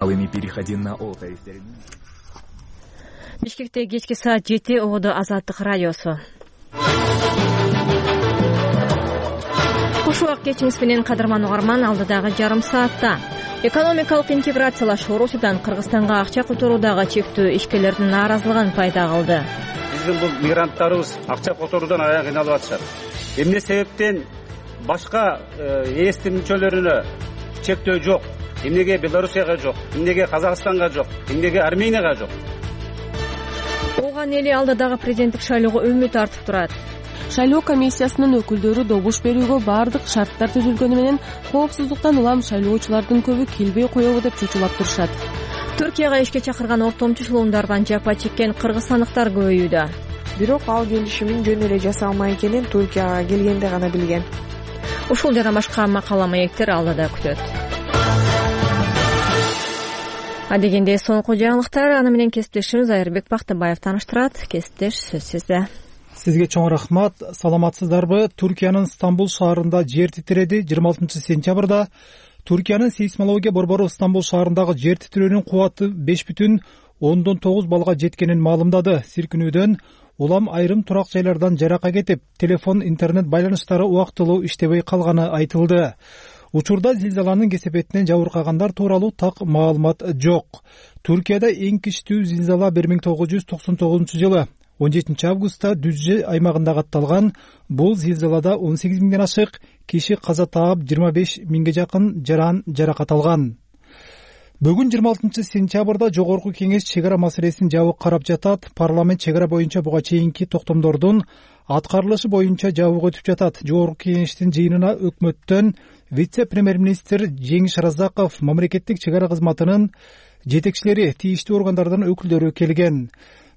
Переходи на ОТ. Бишкекте кечки саат 7 ободо Азаттык радиосу. Кош убак кечиңиз менен кадырман угарман, алдыдагы жарым саатта экономикалык интеграциялашуу Орусиядан Кыргызстанга акча которуудагы чектөө ишкерлердин нааразылыгын пайда кылды. Биздин бул мигранттарыбыз акча которуудан аябай кыйналып атышат. Эмне себептен башка ээстин мүчөлөрүнө чектөө жок? Эмнеге Белоруссияга жок? Эмнеге Казакстанга жок? Эмнеге Арменияга жок? Оған эли алдыдагы президенттик шайлоого үмүт артып турат. Шайлоо комиссиясынын өкүлдөрү добуш берүүгө баардык шарттар түзүлгөнү менен коопсуздуктан улам шайлоочулардын көбү келбей коебу деп чучулап турушат. Түркияга ишке чакырган ортомчу эшелондардан жапа чеккен кыргызстандыктар көбөйүүдө. Бирок ал келишимин жөн эле жасалмай экенин Түркияга келгенде гана билген. Ушул жана башка макала маектер алдыда күтөт. Адегенде соңку жаңылыктар, аны менен кесиптешimiz Айырбек Бактыбаев тааныштырат. Кесиптеш, сөз сизде. Сизге чоң рахмат. Саламатсыздарбы? Түркиянын Стамбул шаарында жер титиреди. 26 сентябрда Түркиянын сейсмология борбору Стамбул шаарындагы жер титирөөнүн кубаты 5,9 баллга жеткенин маалымдады. Силкинүүдөн улам айрым турак жайлардан жарака кетип, телефон, интернет байланыштары убактылуу иштебей калганы айтылды. Учурда зилзаланын кесепетинен жабыркагандар тууралуу так маалымат жок. Түркияда эң кичтүү зилзала 1999 жылы 17 августта Дүзже аймагында катталган. Бул зилзалада 18 миңден ашык киши каза таап, 25 миңге жакын жаракат алган. Бүгүн 26 сентябрда Жогорку кеңеш чегара маселесин жабык карап жатат. Парламент чегара боюнча буга чейинки токтомдордун аткарылышы боюнча жабык өтүп жатат. Жогорку кеңештин жыйынына өкмөттөн вице-премьер-министр Жеңиш Разаков, мамлекеттик чегара кызматынын жетекчилери, тийиштүү органдардын өкүлдөрү келген.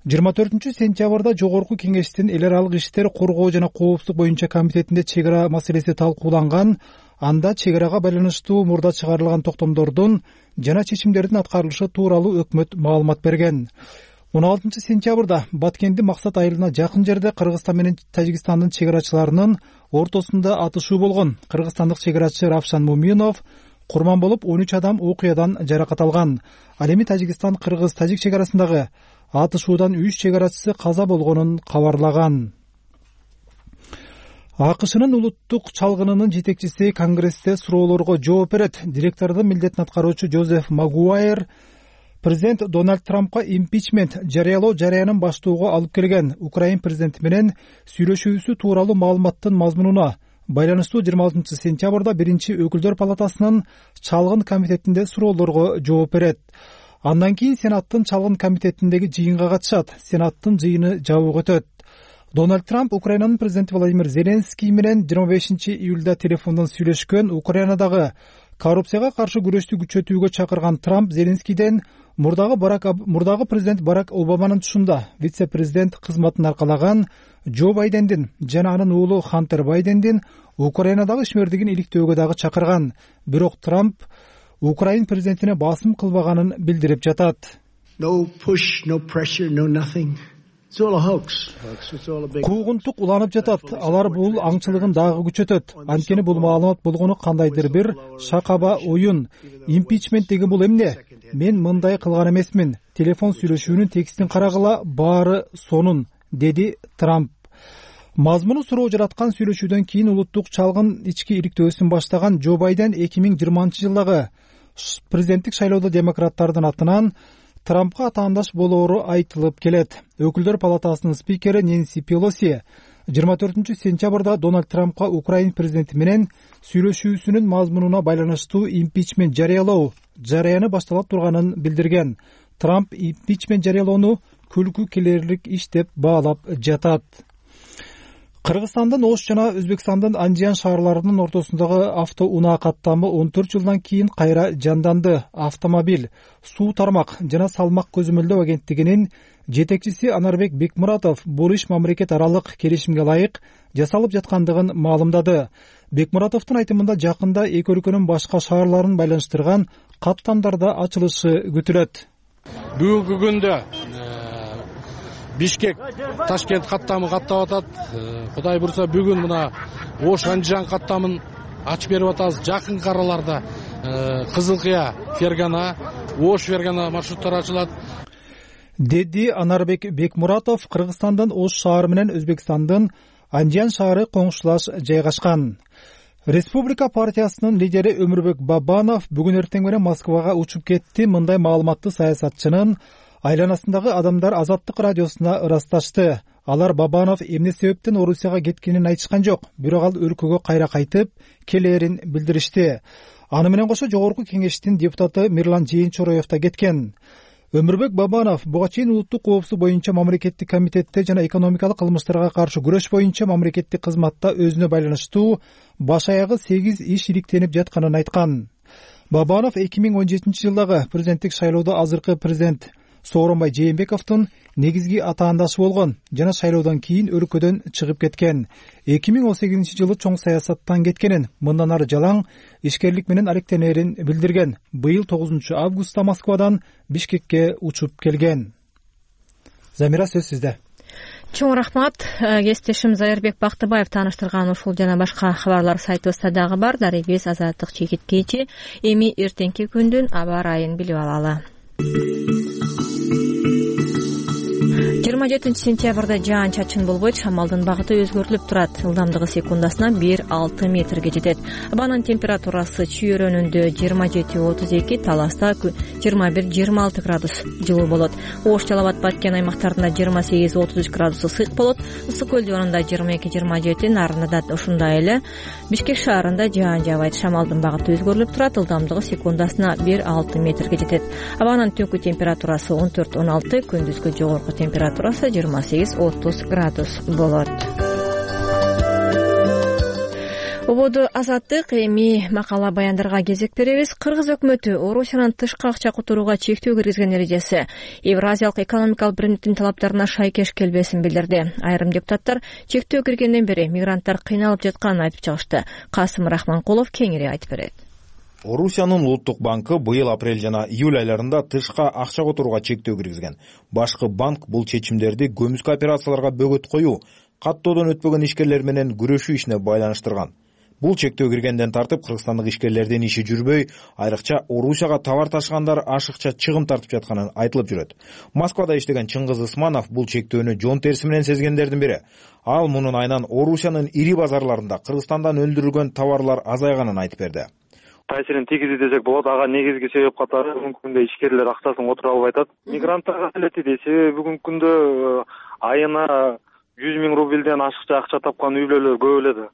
24 сентябрда Жогорку кеңештин эл аралык иштер, коргоо жана коопсуздук боюнча комитетинде чегара маселеси талкууланган. Анда чегарага байланыштуу мурда чыгарылган токтомдордун жана чечимдердин аткарылышы тууралуу өкмөт маалымат берген. 16 сентябрда Баткенди Максат айылына жакын жерде Кыргызстан менен Тажикстандын чегарачыларынын ортосунда атышуу болгон. Кыргызстандык чегарачы Равшан Муминов курман болуп, 13 адам окуядан жаракат алган. Ал эми Тажикстан Кыргыз-Тажик чегарасындагы атышуудан 3 чегарачысы каза болгонун кабарлаган. АКШнын улуттук чалгынынын жетекчиси Конгрессте суроолорго жооп берет. Директордун милдетин аткаруучу Жозеф Магуайр президент Дональд Трампка импичмент жарыялоо жарыянын баштоого алып келген. Украин президенти менен сүйлөшүүсү тууралуу маалыматтын мазмунуна байланыштуу 26 сентябрда биринчи өкүлдөр палатасынын чалгын комитетинде суроолорго жооп берет. Андан кийин Сенаттын чалгын комитетиндеги жыйынга катышат. Сенаттын жыйыны жабык өтөт. Дональд Трамп Украинанын президенти Владимир Зеленский менен 25 июлда телефондон сүйлөшкөн. Украинадагы коррупцияга каршы күрөштү күчөтүүгө чакырган Трамп Зеленскийден мурдагы президент Барак Обаманын тушунда вице-президент кызматын аркалаган Джо Байдендин жана анын уулу Хантер Байдендин Украинадагы ишмердигин иликтөөгө дагы чакырган. Бирок Трамп Украин президентине басым кылбаганын билдирип жатат. No push, no pressure, no nothing. Куугунтук уланып жатат. Алар бул аңчылыгын дагы күчөтөт. Анткени бул маалымат болгону кандайдыр бир шакаба оюн. Импичмент деген бул эмне? Мен мындай кылган эмесмин. Телефон сүйлөшүүнүн текстин карагыла, баары сонун, деди Трамп. Мазмуну суроо жараткан сүйлөшүүдөн кийин улуттук чалгын ички иликтөөсүн баштаган Джо Байден 2020 жылдагы президенттик шайлоодо демократтардын атынан Трампка атаандаш болоору айтылып келет. Өкүлдөр палатасынын спикери Нэнси Пелоси 24 сентябрда Дональд Трампка Украин президенти менен сүйлөшүүсүнүн мазмунуна байланыштуу импичмент жарыялоо жарыяны башталып турганын билдирген. Трамп импичмент жарыялоону күлкү келерлик иш деп баалап жатат. Кыргызстандын Ош жана Өзбекстандын Анжиян шаарларынын ортосундагы автоунаа каттамы 14 жылдан кийин кайра жанданды. Автомобиль, суу тармак жана салмак көзөмөлдөө агенттигинин жетекчиси Анарбек Бекмуратов бул иш мамлекет аралык келишимге ылайык жасалып жаткандыгын маалымдады. Бекмуратовдун айтымында жакында эки өлкөнүн башка шаарларын байланыштырган каттамдарда ачылышы күтүлөт. Бүгүнкү күндө Бишкек Ташкент каттамы каттап атат. Кудай бурса бүгүн мына Ош Анжан каттамын ачып берип атабыз. Жакынкы араларда Кызыл Кыя, Фергана, Ош Фергана маршруттары ачылат, деди Анарбек Бекмуратов. Кыргызстандын Ош шаары менен Өзбекстандын Андиян шаары коңшулаш жайгашкан. Республика партиясынын лидери Өмүрбек Бабанов бүгүн эртең менен Москвага учуп кетти. Мындай маалыматты саясатчынын айланасындагы адамдар Азаттык радиосуна ырасташты. Алар Бабанов эмне себептен Орусияга кеткенин айтышкан жок, бирок ал өлкөгө кайра кайтып келээрин билдиришти. Аны менен кошо жогорку кеңештин депутаты Мирлан Жээнчороев да кеткен. Өмүрбек Бабанов буга чейин улуттук коопсуздук боюнча мамлекеттик комитетте жана экономикалык кылмыштарга каршы күрөш боюнча мамлекеттик кызматта өзүнө байланыштуу баш аягы 8 иш иликтенип жатканын айткан. Бабанов 2017-жылдагы президенттик шайлоодо азыркы президент Сооронбай Жээнбековдун негизги атаандашы болгон жана шайлоодон кийин өлкөдөн чыгып кеткен. 2018-жылы чоң саясаттан кеткенин, мындан ары жалаң ишкерлик менен алектенерин билдирген. Быйыл 9 августта Москвадан Бишкекке учуп келген. Замира, сөз сизде. Чоң рахмат. Кесиптешим Зайырбек Бактыбаев тааныштырган ушул жана башка кабарлар сайтыбызда дагы бар. Дарегибиз Азаттык чекиткечи. Эми эртеңки күндүн аба ырайын билип алалы. 27 сентябрда жаан чачын болбойт, шамалдын багыты өзгөртүлүп турат. Ылдамдыгы секундасына 1-6 метрге жетет. Абанын температурасы чүйөрөнүндө 27-32, Таласта 21-26 градус жылуу болот. Ош, Жалал Абад, Баткен аймактарында 28-33 градус ысык болот. Ысык көл жонунда 22-27, Нарында да ушундай эле. Бишкек шаарында жаан жаабайт, шамалдын багыты өзгөрүлүп турат. Ылдамдыгы секундасына 1-6 метрге жетет. Абанын түнкү температурасы 14-16, күндүзгү жогорку температурасы 28-30 градус болот. Ободу Азаттык. Эми макала баяндарга кезек беребиз. Кыргыз өкмөтү Орусиянын тышкы акча которууга чектөө киргизген эрежеси Евразиялык экономикалык биримдиктин талаптарына шайкеш келбесин билдирди. Айрым депутаттар чектөө киргенден бери мигранттар кыйналып жатканын айтып чыгышты. Касым Рахманкулов кеңири айтып берет. Орусиянын улуттук банкы быйыл апрель жана июль айларында тышка акча которууга чектөө киргизген. Башкы банк бул чечимдерди көмүскө операцияларга бөгөт коюу, каттоодон өтпөгөн ишкерлер менен күрөшүү ишине байланыштырган. Бул чектөө киргенден тартып кыргызстандык ишкерлердин иши жүрбөй, айрыкча Орусияга товар ташыгандар ашыкча чыгым тартып жатканы айтылып жүрөт. Москвада иштеген Чыңгыз Ысманов бул чектөөнү жон терси менен сезгендердин бири. Ал мунун айынан Орусиянын ири базарларында Кыргызстандан өндүрүлгөн товарлар азайганын айтып берди. Таасирин тийгизи десек болот. Ага негизги себеп катары бүгүнкү күндө ишкерлер акчасын отура албай атат. Мигранттарга келети десе, бүгүнкү күндө айына 100 000 рубльден ашыкча акча тапкан үй бүлөлөр көп эле.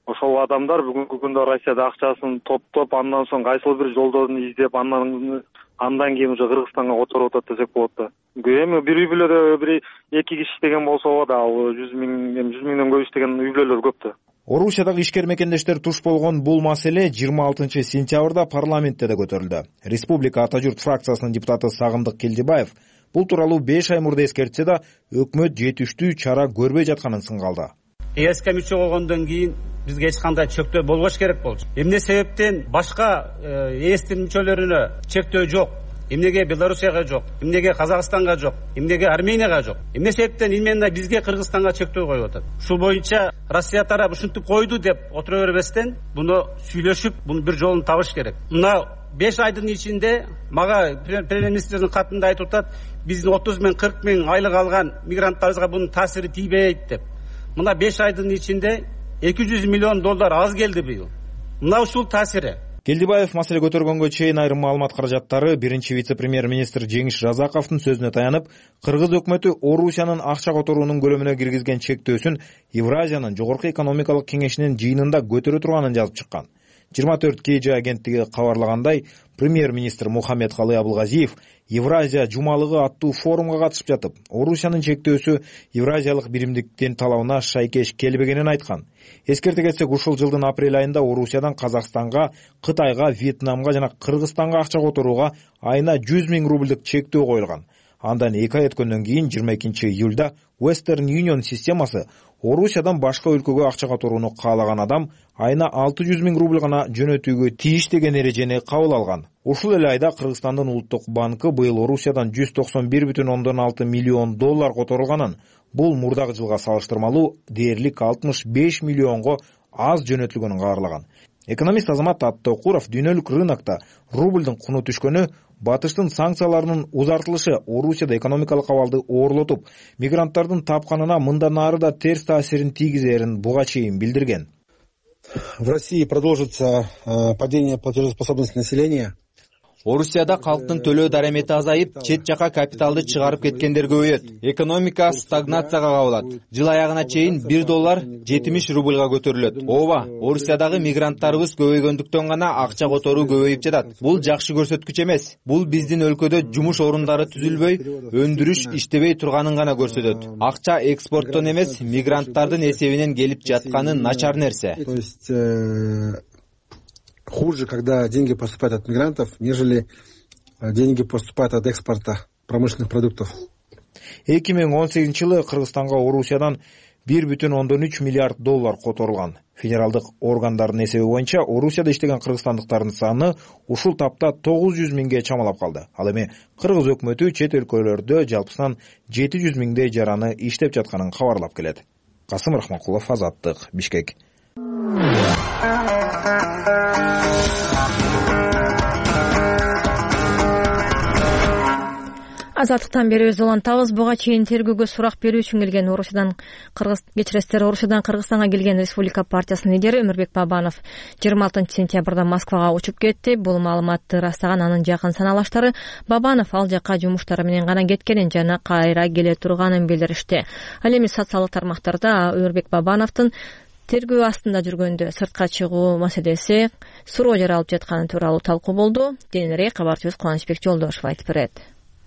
Ошол адамдар бүгүнкү күндө Россияда акчасын топтоп, андан соң кайсыл бир жолдорун издеп, андан кийин уже Кыргызстанга которуп атат десек болот да. Эми бир үй бүлөдө бир 2 киши иштеген болсо да, ал 100 000ден көп иштеген үй бүлөлөр көп да. Орусиядагы ишкер мекендештер туш болгон бул маселе 26 сентябрда парламентте да көтөрүлдү. Республика Ата журт фракциясынын депутаты Сагындык Келдибаев бул тууралуу 5 ай мурда эскертсе да, өкмөт жетиштүү чара көрбөй жатканын сынгалды. ЭСК мүчө болгондон кийин бизге эч кандай чектөө болбош керек болчу. Эмне себептен башка ЭСтин мүчөлөрүнө чектөө жок? Эмнеге Белоруссияга жок? Эмнеге Казакстанга жок? Эмнеге Арменияга жок? Эмне себептен именно бизге Кыргызстанга чектөө коюп атат? Ушул боюнча Россия тарап ушинтип койду деп отура бербестен, буну сүйлөшүп, бунун бир жолун табыш керек. Мына 5 айдын ичинде мага премьер-министрдин катында айтып атат, биздин 30 000, 40 000 айлык алган мигранттарыбызга бунун таасири тийбейт деп. Мына 5 айдын ичинде $200 миллион аз келди быйыл. Мына ушул таасири. Келдибаев маселе көтөргөнгө чейин айрым маалымат каражаттары биринчи вице-премьер-министр Жеңиш Разаковдун сөзүнө таянып, Кыргыз өкмөтү Орусиянын акча которуунун көлөмүнө киргизген чектөөсүн Евразиянын жогорку экономикалык кеңешинин жыйынында көтөрө турганын жазып чыккан. 24 KG агенттиги кабарлагандай, премьер-министр Мухаммед Калый Абылгазиев Евразия жумалыгы аттуу форумга катышып жатып, Орусиянын чектөөсү Евразиялык биримдиктин талабына шайкеш келбегенин айткан. Эскерте кетсек, ушул жылдын апрель айында Орусиядан Казакстанга, Кытайга, Вьетнамга жана Кыргызстанга акча которууга айына 100 000 рубльдик чектөө коюлган. Андан 2 ай өткөндөн кийин 22 июлда Western Union системасы Орусиядан башка өлкөгө акча которууну каалаган адам айына 600 000 рубль гана жөнөтүүгө тийиш деген эрежени кабыл алган. Ушул эле айда Кыргызстандын улуттук банкы быйыл Орусиядан $191,6 миллион которулганын, бул мурдагы жылга салыштырмалуу дээрлик 65 миллионго аз жөнөтүлгөнүн кабарлаган. Экономист Азамат Аттокуров дүйнөлүк рынокто рублдун куну түшкөнү, батыштын санкцияларынын узартылышы Орусияда экономикалык абалды оорлотуп, мигранттардын тапканына мындан ары да терс таасирин тийгизерин буга чейин билдирген. В России продолжится падение платежеспособности населения. Орусияда калктын төлөө дарамети азайып, чет жака капиталды чыгарып кеткендер көбөйөт. Экономика стагнацияга кабылат. Жыл аягына чейин $1 70 рублга көтөрүлөт. Ооба, Орусиядагы мигранттарыбыз көбөйгөндүктөн гана акча которуу көбөйүп жатат. Бул жакшы көрсөткүч эмес. Бул биздин өлкөдө жумуш орундары түзүлбөй, өндүрүш иштебей турганын гана көрсөтөт. Акча экспорттон эмес, мигранттардын эсебинен келип жатканы начар нерсе. То есть хуже, когда деньги поступают от мигрантов, нежели деньги поступают от экспорта промышленных продуктов. 2018-жылы Кыргызстанга Орусиядан $1,3 миллиард которулган. Федералдык органдардын эсеби боюнча Орусияда иштеген кыргызстандыктардын саны ушул тапта 900 миңге чамалап калды. Ал эми кыргыз өкмөтү чет өлкөлөрдө жалпысынан 700 миңдей жараны иштеп жатканын кабарлап келет. Касым Рахмакулов, Азаттык, Бишкек. Азаттыктан бери өз улантабыз. Буга чейин тергөөгө сурак берүү үчүн келген Орусиядан Кыргызстанга келген Республика партиясынын лидери Өмүрбек Бабанов 26-сентябрда Москвага учуп кетти. Бул маалыматты ырастаган анын жакын саналаштары Бабанов ал жака жумуштары менен гана кеткенин жана кайра келе турганын билдиришти. Ал эми социалдык тармактарда Өмүрбек Бабановдун тергөө астында жүргөндө сыртка чыгуу маселеси суроо жаралып жатканы тууралуу талкуу болду. Кийинирээк кабарчыбыз Кубанычбек Жолдошев айтып берет.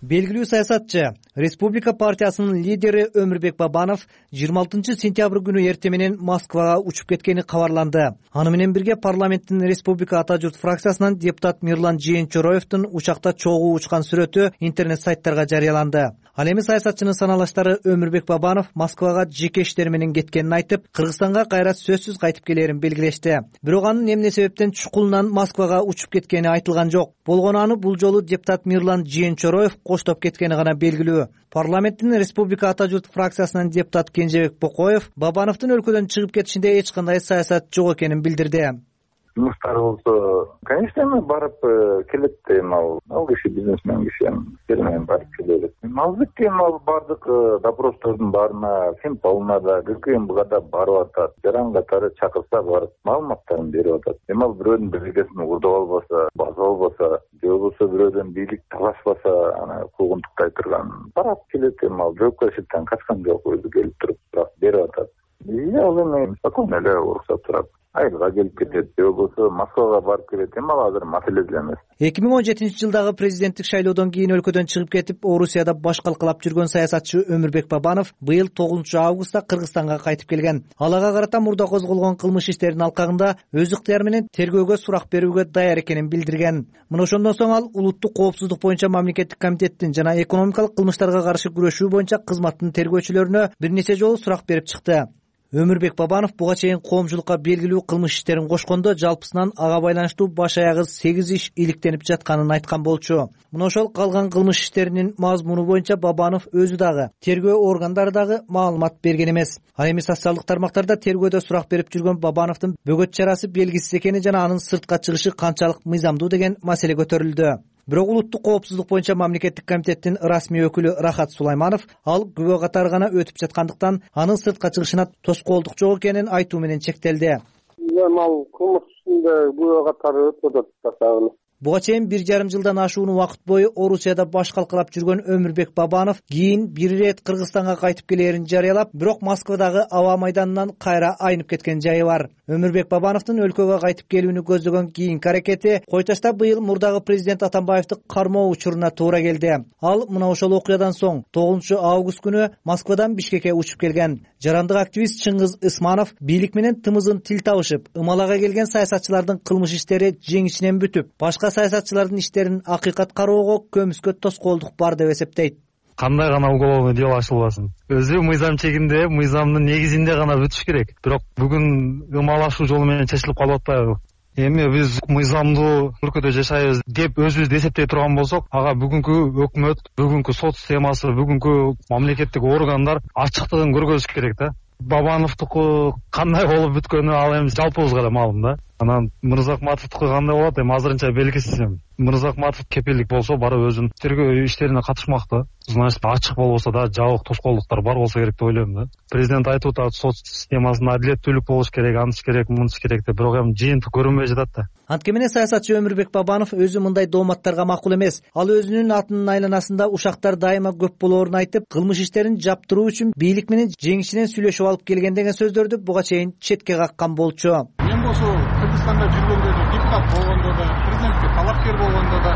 Белгилүү саясатчы, Республика партиясынын лидери Өмүрбек Бабанов 26-сентябрь күнү эртең менен Москвага учуп кеткени кабарланды. Аны менен бирге парламенттин Республика Ата журт фракциясынан депутат Мирлан Жээнчороевдун учакта чогуу учкан сүрөтү интернет сайттарга жарыяланды. Ал эми саясатчынын саналаштары Өмүрбек Бабанов Москвага жеке иштер менен кеткенин айтып, Кыргызстанга кайра сөзсүз кайтып келерин белгилешти. Бирок анын эмне себептен чукулунан Москвага учуп кеткени айтылган жок. Болгону аны бул жолу депутат Мирлан Жээнчороев коштоп кеткени гана белгилүү. Парламенттин Республика Ата журт фракциясынын депутат Кенжебек Бокоев Бабановдун өлкөдөн чыгып кетишинде эч кандай саясат жок экенин билдирди. Жумуштар болсо, конечно, эми барып келет эми ал киши бизнесмен киши эми барып келет. Албетте эми бардык допростордун баарына, Финполна да, ГКМБга да барып атат. Жаран катары чакырса барып маалыматтарын берип атат. Эми ал бирөөнүн биргесин урдуп албаса, басып албаса, же болбосо бирөөдөн бийлик талашпаса, аны куугунтуктай турган барып келет. Эми ал жоопкерчиликтен качкан жок, өзү келип туруп берип атат. Ал эми спокойно эле уруксат турат. Айылга келип кетет, же болбосо Москвага барып келет. Эми ал азыр маселе деле эмес. 2017-жылдагы президенттик шайлоодон кийин өлкөдөн чыгып кетип, Орусияда баш калкалап жүргөн саясатчы Өмүрбек Бабанов быйыл 9-августта Кыргызстанга кайтып келген. Алага карата мурда козголгон кылмыш иштеринин алкагында өз ыктыяры менен тергөөгө сурак берүүгө даяр экенин билдирген. Мына ошондон соң ал улуттук коопсуздук боюнча мамлекеттик комитеттин жана экономикалык кылмыштарга каршы күрөшүү боюнча кызматтын тергөөчүлөрүнө бир нече жолу сурак берип чыкты. Өмүрбек Бабанов буга чейин коомчулукка белгилүү кылмыш иштерин кошкондо жалпысынан ага байланыштуу баш аягы 8 иш иликтенип жатканын айткан болчу. Мына ошол калган кылмыш иштеринин мазмуну боюнча Бабанов өзү дагы, тергөө органдары дагы маалымат берген эмес. Ал эми социалдык тармактарда тергөөдө сурак берип жүргөн Бабановдун бөгөт чарасы белгисиз экени жана анын сыртка чыгышы канчалык мыйзамдуу деген маселе көтөрүлдү. Бирок улуттук коопсуздук боюнча мамлекеттик комитеттин расмий өкүлү Рахат Сулайманов ал күбө катары гана өтүп жаткандыктан анын сыртка чыгышына тоскоолдук жок экенин айтуу менен чектелди. Ал кылмыш ишинде күбө катары өтүп атат. Буга чейин 1,5 жылдан ашуун убакыт бою Орусияда баш калкалап жүргөн Өмүрбек Бабанов кийин бир ирет Кыргызстанга кайтып келерин жарыялап, бирок Москвадагы аба майданынан кайра айнып кеткен жайы бар. Өмүрбек Бабановдун өлкөгө кайтып келүүнү көздөгөн кийинки аракети Койташта быйыл мурдагы президент Атамбаевди кармоо учуруна туура келди. Ал мына ошол окуядан соң 9-август күнү Москвадан Бишкекке учуп келген. Жарандык активист Чыңгыз Ысманов бийлик менен тымызын тил табышып, ымалага келген саясатчылардын кылмыш иштери жеңишинен бүтүп, башка саясатчылардын иштерин акыйкат кароого көмүскө тоскоолдук бар деп эсептейт. Кандай гана уголовный дело ачылбасын, өзү мыйзам чегинде, мыйзамдын негизинде гана бүтүш керек. Бирок бүгүн ымалашуу жолу менен чечилип калып атпайбы? Эми биз мыйзамдуу өлкөдө жашайбыз деп өзүбүздү эсептей турган болсок, ага бүгүнкү өкмөт, бүгүнкү сот системасы, бүгүнкү мамлекеттик органдар ачыктыгын көргөзүш керек да. Бабановдуку кандай болуп бүткөнү ал эми жалпыбызга да маалым да. Анан Мырзакматовдуку кандай болот эми азырынча белгисиз. Мырзакматов кепилдик болсо барып өзүнүн тергөө иштерине катышмак да. Значит, ачык болбосо да жабык тоскоолдуктар бар болсо керек деп ойлойм да. Президент айтып атат, сот системасында адилеттүүлүк болуш керек, аныс керек, мыныс керек деп, бирок эми жыйынтык көрүнбөй жатат да. Антке менен саясатчы Өмүрбек Бабанов өзү мындай дооматтарга макул эмес. Ал өзүнүн атынын айланасында ушактар дайыма көп болоорун айтып, кылмыш иштерин жаптыруу үчүн бийлик менен жеңишинен сүйлөшүп алып келген деген сөздөрдү буга чейин четке каккан болчу. Мен болсо Кыргызстанда жүргөндө да, депутат болгондо да, президентке талапкер болгондо да,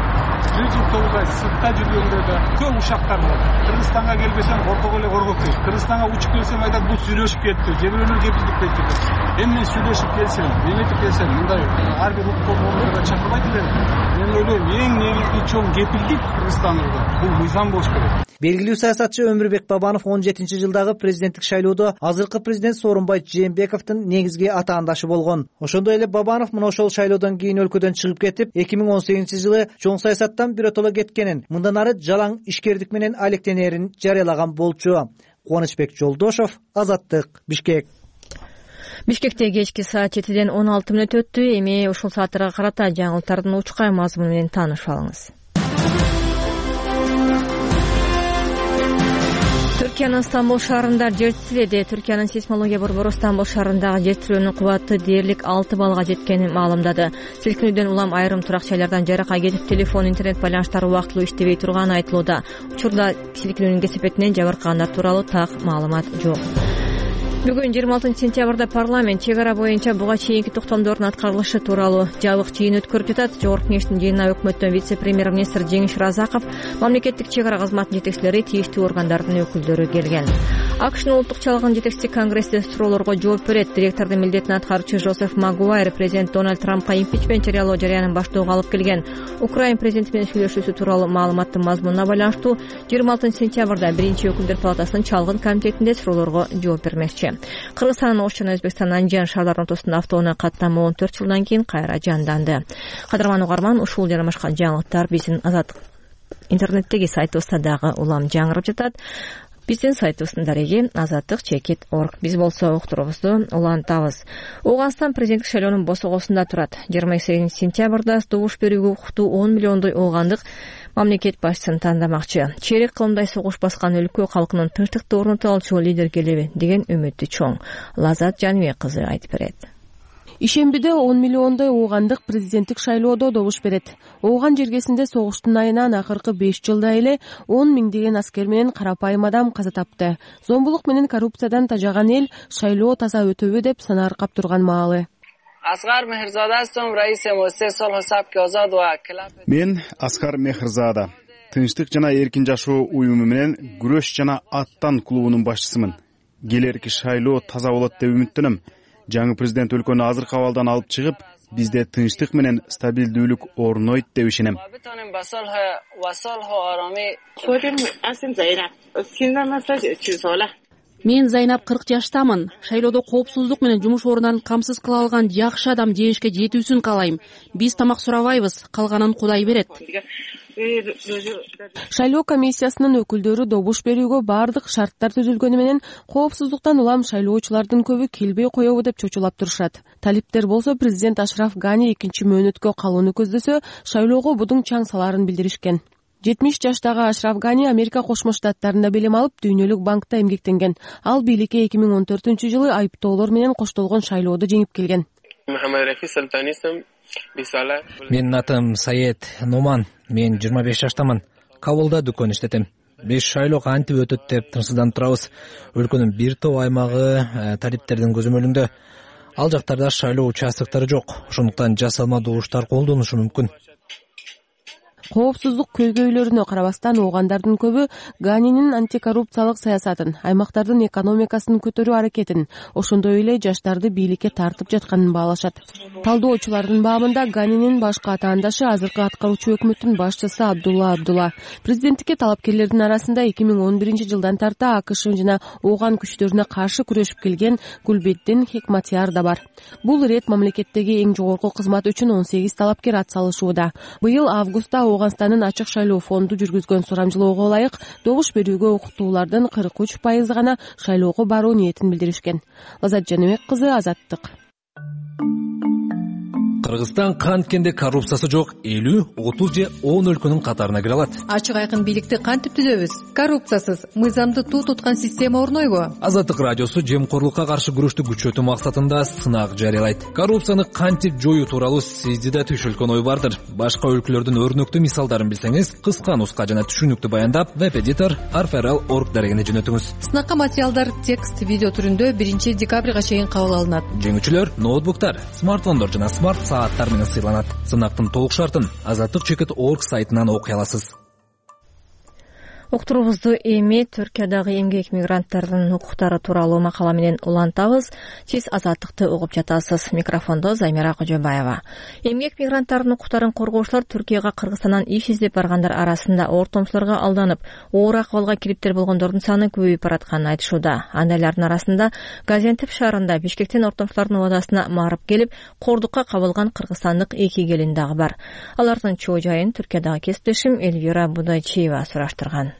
1 жыл 9 ай сыртта жүргөндө да көп ушактар болот. Кыргызстанга келбесең ортого эле коргоп кел. Кыргызстанга учуп келсең айтат, бул сүйлөшүп кетти, же бирөөнөр кепилдик берди деп. Эми мен сүйлөшүп келсем, эметип келсем, мындай ар бир укук коргоончуга чакырбайт элем. Мен ойлойм, эң негизги чоң кепилдик Кыргызстанда бул мыйзам болуш керек. Белгилүү саясатчы Өмүрбек Бабанов 17-жылдагы президенттик шайлоодо азыркы президент Сооронбай Жээнбековдун негизги атаандашы болгон. Ошондой эле Бабанов мына ошол шайлоодон кийин өлкөдөн чыгып кетип, 2018-жылы чоң саясаттан биротоло кеткенин, мындан ары жалаң ишкердик менен алектенерин жарыялаган болчу. Кубанычбек Жолдошов, Азаттык, Бишкек. Бишкекте кечки саат 7-ден 16 мүнөт өттү. Эми ушул сааттарга карата жаңылыктардын учкай мазмуну менен таанышып алыңыз. Түркиянын Стамбул шаарында жер титирedi. Түркиянын сейсмология борбору Стамбул шаарындагы жер титирөөнүн кубаты дээрлик 6 баллга жеткенин маалымдады. Силкинүүдөн улам айрым турак жайлардан жаракка кетип, телефон, интернет байланыштары убактылуу иштебей турганы айтылууда. Учурда силкинүүнүн кесепетинен жабыркагандар тууралуу так маалымат жок. Бүгүн 26 сентябрда парламент чек ара боюнча буга чейинки токтомдордун аткарылышы тууралуу жабык жыйын өткөрүп жатат. Жогорку кеңештин жыйынына өкмөттөн вице-премьер-министр Жеңиш Разаков, мамлекеттик чек ара кызматынын жетекчилери, тийиштүү органдардын өкүлдөрү келген. АКШнын улуттук чалгын жетекчиси Конгрессте суроолорго жооп берет. Директордун милдетин аткаруучу Жозеф Магуайр президент Дональд Трампка импичмент жарыялоо жарыянын баштоого алып келген. Украин президенти менен сүйлөшүүсү тууралуу маалыматтын мазмунуна байланыштуу 26 сентябрда биринчи өкүлдөр палатасынын чалгын комитетинде суроолорго жооп бермекчи. Кыргызстандын Ош жана Өзбекстандын Анжан шаарларынын ортосунда автоунаа каттамы 14 жылдан кийин кайра жанданды. Кадырман угарман, ушул жана башка жаңылыктар биздин Азаттык интернеттеги сайтыбызда дагы улам жаңырып жатат. Биздин сайтыбыздын дареги azattik.org. Биз болсо уктуруубузду улантабыз. Ооганстан президенттик шайлоонун босогосунда турат. 28 сентябрда добуш берүүгө укуктуу 10 миллиондой ооганды мамлекет башчысын тандамакчы. Чейрек кылымдай согуш баскан өлкө калкынын тынчтыкты орното алчу лидер келеби деген үмүтү чоң. Лазат Жаныбек кызы айтып берет. Ишембиде 10 миллиондой оогандык президенттик шайлоодо добуш берет. Ооган жергесинде согуштун айынан акыркы 5 жылда эле 10 миңдеген аскер менен карапайым адам каза тапты. Зомбулук менен коррупциядан тажаган эл шайлоо таза өтөбү деп санааркап турган маалы. Мен Аскар Мехрзада, Тынчтык жана эркин жашоо уюму менен күрөш жана аттан клубунун башчысымын. Келерки шайлоо таза болот деп үмүттөнөм. Жаңы президент өлкөнү азыркы абалдан алып чыгып, бизде тынчтык менен стабилдүүлүк орнойт деп ишенем. Мен Зайнап 40 жаштамын. Шайлоодо коопсуздук менен жумуш орундарын камсыз кыла алган жакшы адам жеңишке жетүүсүн каалайм. Биз тамак сурабайбыз, калганын Кудай берет. Шайлоо комиссиясынын өкүлдөрү добуш берүүгө бардык шарттар түзүлгөнү менен коопсуздуктан улам шайлоочулардын көбү келбей коебу деп чочулап турушат. Талиптер болсо президент Ашраф Гани 2 мөөнөткө калууну көздөсө, шайлоого будуң чаң салаарын билдиришкен. 70 жаштагы Ашраф Гани Америка Кошмо Штаттарында билим алып, дүйнөлүк банкта эмгектенген. Ал бийликке 2014-жылы айыптоолор менен коштолгон шайлоодо жеңип келген. Менин атым Саед Номан. Мен 25 жаштамын. Кабулда дүкөн иштетем. Биз шайлоо кантип өтөт деп тынчсызданып турабыз. Өлкөнүн бир топ аймагы талиптердин көзөмөлүндө. Ал жактарда шайлоо участоктору жок. Ошондуктан жасалма добуштар колдонулушу мүмкүн. Коопсуздук көйгөйлөрүнө карабастан оогандардын көбү Ганинин антикоррупциялык саясатын, аймактардын экономикасын көтөрүү аракетин, ошондой эле жаштарды бийликке тартып жатканын баалашат. Талдоочулардын баамында Ганинин башкы атаандашы азыркы аткаруучу өкмөттүн башчысы Абдулла. Президенттикке талапкерлердин арасында 2011-жылдан тарта АКШ жана ооган күчтөрүнө каршы күрөшүп келген Гулбеддин Хекматияр да бар. Бул ирет мамлекеттеги эң жогорку кызмат үчүн 18 талапкер атсалышууда. Быйыл августта Ооганстандын ачык шайлоо фонду жүргүзгөн сурамжылоого ылайык добуш берүүгө укуктуулардын 43% гана шайлоого баруу ниетин билдиришкен. Лазат Жаныбек кызы, Азаттык. Кыргызстан канткенде коррупциясы жок 50, 30 же 10 өлкөнүн катарына кире алат. Ачык айкын бийликти кантип түзөбүз? Коррупциясыз, мыйзамды туу туткан система орнойбу? Азаттык радиосу жемкорлукка каршы күрөштү күчөтүү максатында сынак жарыялайт. Коррупцияны кантип жоюу тууралуу сизде да түшүлгөн ой бардыр. Башка өлкөлөрдүн өрнөктүү мисалдарын билсеңиз, кыска нуска жана түшүнүктүү баяндап веб-эдитор arferal.org дарегине жөнөтүңүз. Сынакка материалдар текст, видео түрүндө 1 декабрга чейин кабыл алынат. Жеңүүчүлөр ноутбуктар, смартфондор жана смарт сааттар менен сыйланат. Сынактын толук шартын azatlyk.org сайтынан окуй аласыз. Уктуруубузду эми Түркиядагы эмгек мигранттардын укуктары тууралуу макала менен улантабыз. Сиз Азаттыкты угуп жатасыз. Микрофондо Замира Кожобаева. Эмгек мигранттардын укуктарын коргоочулар Түркияга Кыргызстандан иш издеп баргандар арасында ортомчуларга алданып, оор акыбалга кириптер болгондордун саны көбөйүп баратканын айтышууда. Андайлардын арасында Газиантеп шаарында Бишкектен ортомчулардын убадасына марып келип, кордукка кабылган кыргызстандык 2 келин дагы бар. Алардын чоо жайын Түркиядагы кесиптешим Эльвира Будайчиева сураштырган.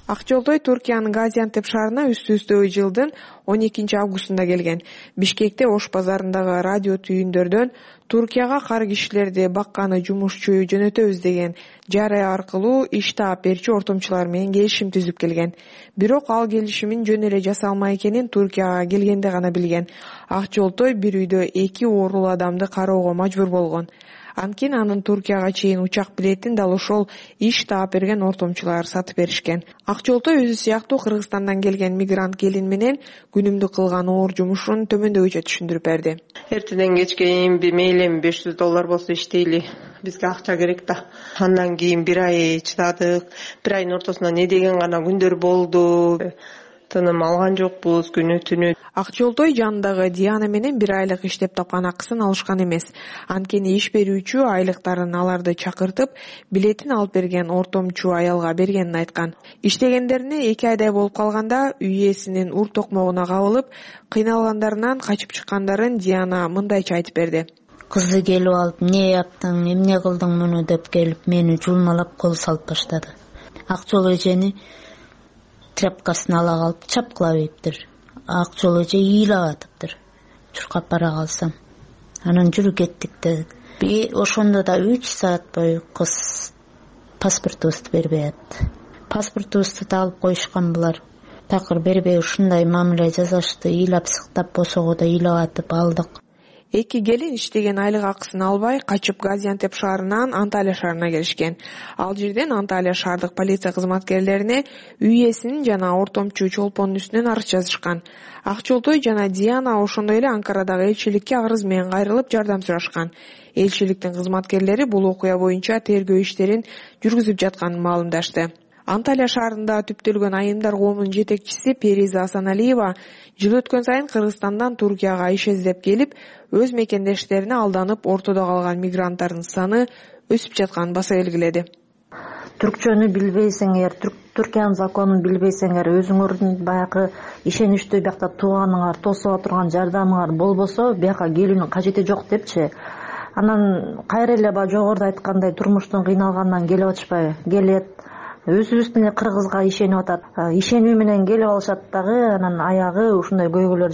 Ак жолдой Түркиянын Газиантеп шаарына үстү-үстө жылдын 12 августунда келген. Бишкекте Ош базарындагы радио түйүндөрдөн Түркияга кар кишилерди бакканы жумушчу жөнөтөбүз деген жарыя аркылуу иш таап берчү ортомчулар менен келишим түзүп келген. Бирок ал келишимин жөн эле жасалма экенин Түркияга келгенде гана билген. Ак жолдой бир үйдө 2 оорулуу адамды кароого мажбур болгон. Анткени анын Түркияга чейин учак билетин дал ошол иш таап берген ортомчулар сатып беришкен. Ак жолдой өзү сыяктуу Кыргызстандан келген мигрант келин менен күнүмдүк кылган оор жумушун төмөндөгүчө түшүндүрүп берди. Эртеден кечке мейли $500 болсо иштейли. Бизге акча керек да. Андан кийин бир ай чыдадык. Бир айдын ортосунда не деген гана күндөр болду. Тыным алган жокпуз күнү-түнү. Ак жолдой жанындагы Диана менен бир айлык иштеп тапкан акысын алышкан эмес. Анткени иш берүүчү айлыктарын аларды чакыртып, билетин алып берген ортомчу аялга бергенин айткан. Иштегендерине 2 айдай болуп калганда үй ээсинин ур токмогуна кабылып, кыйналгандарынан качып чыккандарын Диана мындайча айтып берди. Кызды келип алып, "Не яптың, эмне кылдың муну?" деп келип, мени жулмалап кол салып баштады. Ак жол эжени тряпкасын ала калып чапкылап ийиптир. Ак жол эже ыйлап атыптыр. Чуркап бара калсам. Анан жүрү кеттик деди. Ошондо да 3 саат бою кыз паспортубузду бербей атты. Паспортубузду да алып коюшкан булар. Такыр бербей ушундай мамиле жасашты. Ыйлап сыктап босого да ыйлап атып алдык. 2 келин иштеген айлык акысын албай качып Газиантеп шаарынан Анталия шаарына келишкен. Ал жерден Анталия шаардык полиция кызматкерлерине үй ээсинин жана ортомчу чолпондун үстүнөн арыз жазышкан. Ак жолдой жана Диана ошондой эле Анкарадагы элчиликке арыз менен кайрылып жардам сурашкан. Элчиликтин кызматкерлери бул окуя боюнча тергөө иштерин жүргүзүп жатканын маалымдашты. Анталия шаарында түптөлгөн айымдар коомунун жетекчиси Периза Асаналиева жыл өткөн сайын Кыргызстандан Түркияга иш издеп келип, өз мекендештерине алданып ортодо калган мигранттардын саны өсүп жатканын баса белгиледи. Түркчөнү билбейсиңер, Түркиянын законун билбейсиңер, өзүңөрдүн баягы ишеничтүү биякта тууганыңар, тосуп отурган жардамыңар болбосо, бияка келүүнүн кажети жок депчи. Анан кайра эле жогоруда айткандай турмуштун кыйналганынан келип атышпайбы? Келет. Өзүбүздүн эле кыргызга ишенип атат. Ишенүү менен келип алышат дагы, анан аягы ушундай көйгөйлөр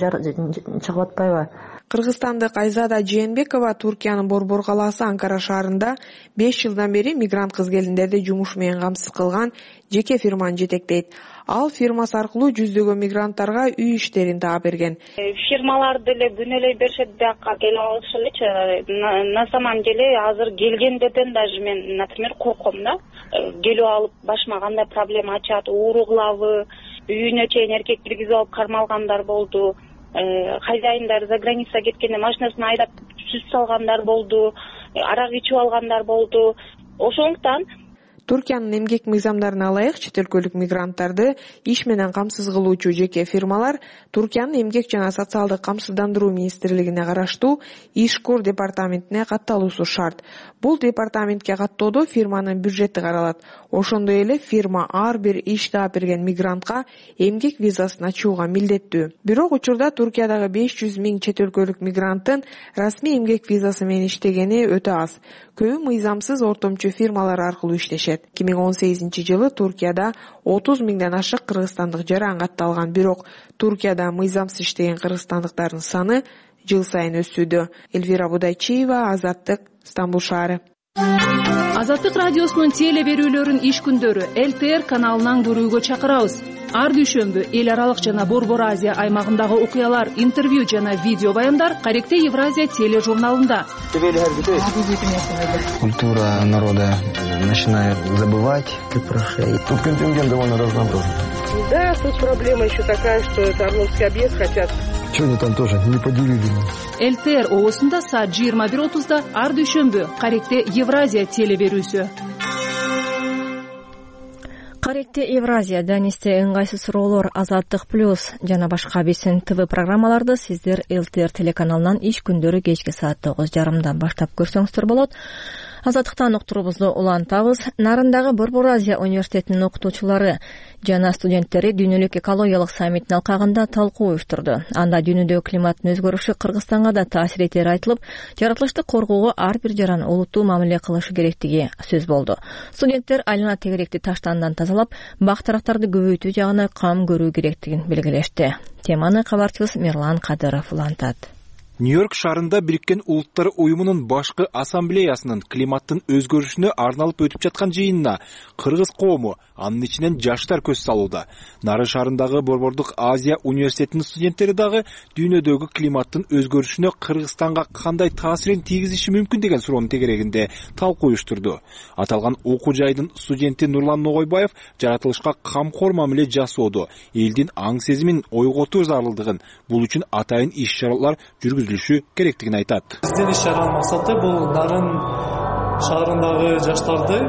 чыгып атпайбы? Кыргызстандык Айзада Жээнбекова Түркиянын Борбор калаасы Анкара шаарында 5 жылдан бери мигрант кыз-келиндерди жумуш менен камсыз кылган жеке фирманы жетектейт. Ал фирмасы аркылуу жүздөгөн мигранттарга үй иштерин таап берген. Фирмалар деле күнөөлөй беришет, бияка келип алышылычы. На самом деле азыр келгендерден даже мен, например, корком да. Келип алып башыма кандай проблема ачат, ууру кылабы, үйүнө чейин эркек киргизип алып кармалгандар болду. Хозяиндар за граница кеткенде машинасын айдап сүт салгандар болду, арак ичип алгандар болду. Ошондуктан Түркиянын эмгек мыйзамдарына ылайык чет өлкөлүк мигранттарды иш менен камсыз кылуучу жеке фирмалар Түркиянын эмгек жана социалдык камсыздандыруу министрлигине караштуу Ишкур департаментине катталуусу шарт. Бул департаментке каттоодо фирманын бюджети каралат. Ошондой эле фирма ар бир иш таап берген мигрантка эмгек визасын ачууга милдеттүү. Бирок учурда Түркиядагы 500 000 чет өлкөлүк мигранттын расмий эмгек визасы менен иштегени өтө аз. Көбү мыйзамсыз ортомчу фирмалар аркылуу иштешет. 2018-жылы Түркияда 30 000ден ашык кыргызстандык жаран катталган, бирок Түркияда мыйзамсыз иштеген кыргызстандыктардын саны жыл сайын өсүүдө. Элвира Будайчиева, Азаттык, Стамбул шаары. Азаттык радиосунун теле берүүлөрүн иш күндөрү ЛТР каналынан көрүүгө чакырабыз. Ар дүйшөмбү эл аралык жана Борбор Азия аймагындагы окуялар, интервью жана видео баяндар Каректе Евразия тележурналында. Культура народа начинает забывать, как прошей. Тут контингент довольно разнообразный. Да, тут проблема еще такая, что это Орловский объезд хотят. Что они там тоже не поделили? ЛТР оосунда саат 21:30 ар дүйшөмбү Каректе Евразия теле берүүсү. Каректе Евразия данисте ыңгайсыз суроолор, Азаттык плюс жана башка биздин ТВ программаларды сиздер ЛТР телеканалынан иш күндөрү кечки саат 9:30 баштап көрсөңүздөр болот. Азаттыктан уктуруубузду улантабыз. Нарындагы Борбор Азия университетинин окутуучулары жана студенттери дүйнөлүк экологиялык саммиттин алкагында талкуу уюштурду. Анда дүйнөдөгү климаттын өзгөрүшү Кыргызстанга да таасир этери айтылып, жаратылышты коргоого ар бир жаран олуттуу мамиле кылышы керектиги сөз болду. Студенттер айлана тегеректи таштандан тазалап, бак-дарактарды көбөйтүү жагына кам көрүү керектигин белгилешти. Теманы кабарчыбыз Мерлан Кадыров улантат. Нью-Йорк шаарында Бириккен Улуттар уюмунун башкы ассамблеясынын климаттын өзгөрүшүнө арналып өтүп жаткан жыйынына кыргыз коому, анын ичинен жаштар көз салууда. Нары шаарындагы Борбордук Азия университетинин студенттери дагы дүйнөдөгү климаттын өзгөрүшүнө Кыргызстанга кандай таасирин тийгизиши мүмкүн деген суроонун тегерегинде талкуу уюштурду. Аталган окуу жайдын студенти Нурлан Ногойбаев жаратылышка камкор мамиле жасоодо элдин аң сезимин ойготуу зарылдыгын, бул үчүн атайын иш-чаралар жүргүзүлүшү керектигин айтат. Биздин иш-чаранын максаты бул Нарын шаарындагы жаштарды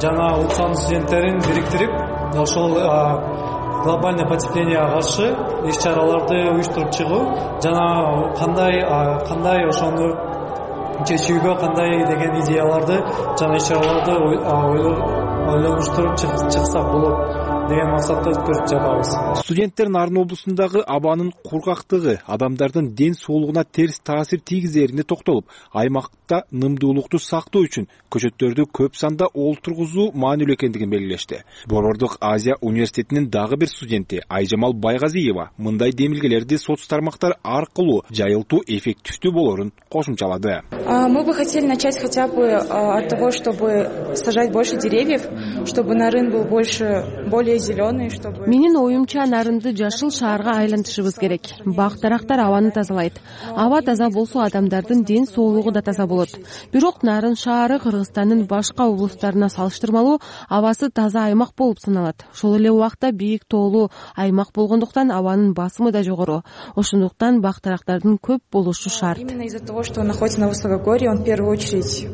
жана улуттун студенттерин бириктирип, ошол глобальный потеплениеге каршы иш-чараларды уюштуруп чыгуу жана кандай ошону чечүүгө кандай деген идеяларды жана иш-чараларды ойлонуштуруп чыксак болот деген максатта өткөрүп жатабыз. Студенттер Нарын облусундагы абанын кургактыгы адамдардын ден соолугуна терс таасир тийгизерине токтолуп, аймакта нымдуулукту сактоо үчүн көчөттөрдү көп санда олтургузуу маанилүү экендигин белгилешти. Борбордук Азия университетинин дагы бир студенти Айжамал Байгазиева мындай демилгелерди соц тармактар аркылуу жайылтуу эффективдүү болорун кошумчалады. Мы бы хотели начать хотя бы от того, чтобы сажать больше деревьев, чтобы Нарын был более зеленый, чтобы... Менин оюмча Нарынды жашыл шаарга айлантышыбыз керек. Бак-дарактар абаны тазалайт. Аба таза болсо адамдардын ден соолугу да таза болот. Бирок Нарын шаары Кыргызстандын башка облустарына салыштырмалуу абасы таза аймак болуп саналат. Ошол эле убакта бийик тоолуу аймак болгондуктан абанын басымы да жогору. Ошондуктан бак-дарактардын көп болушу шарт. Именно из-за того, что он находится на высокогорье, он в первую очередь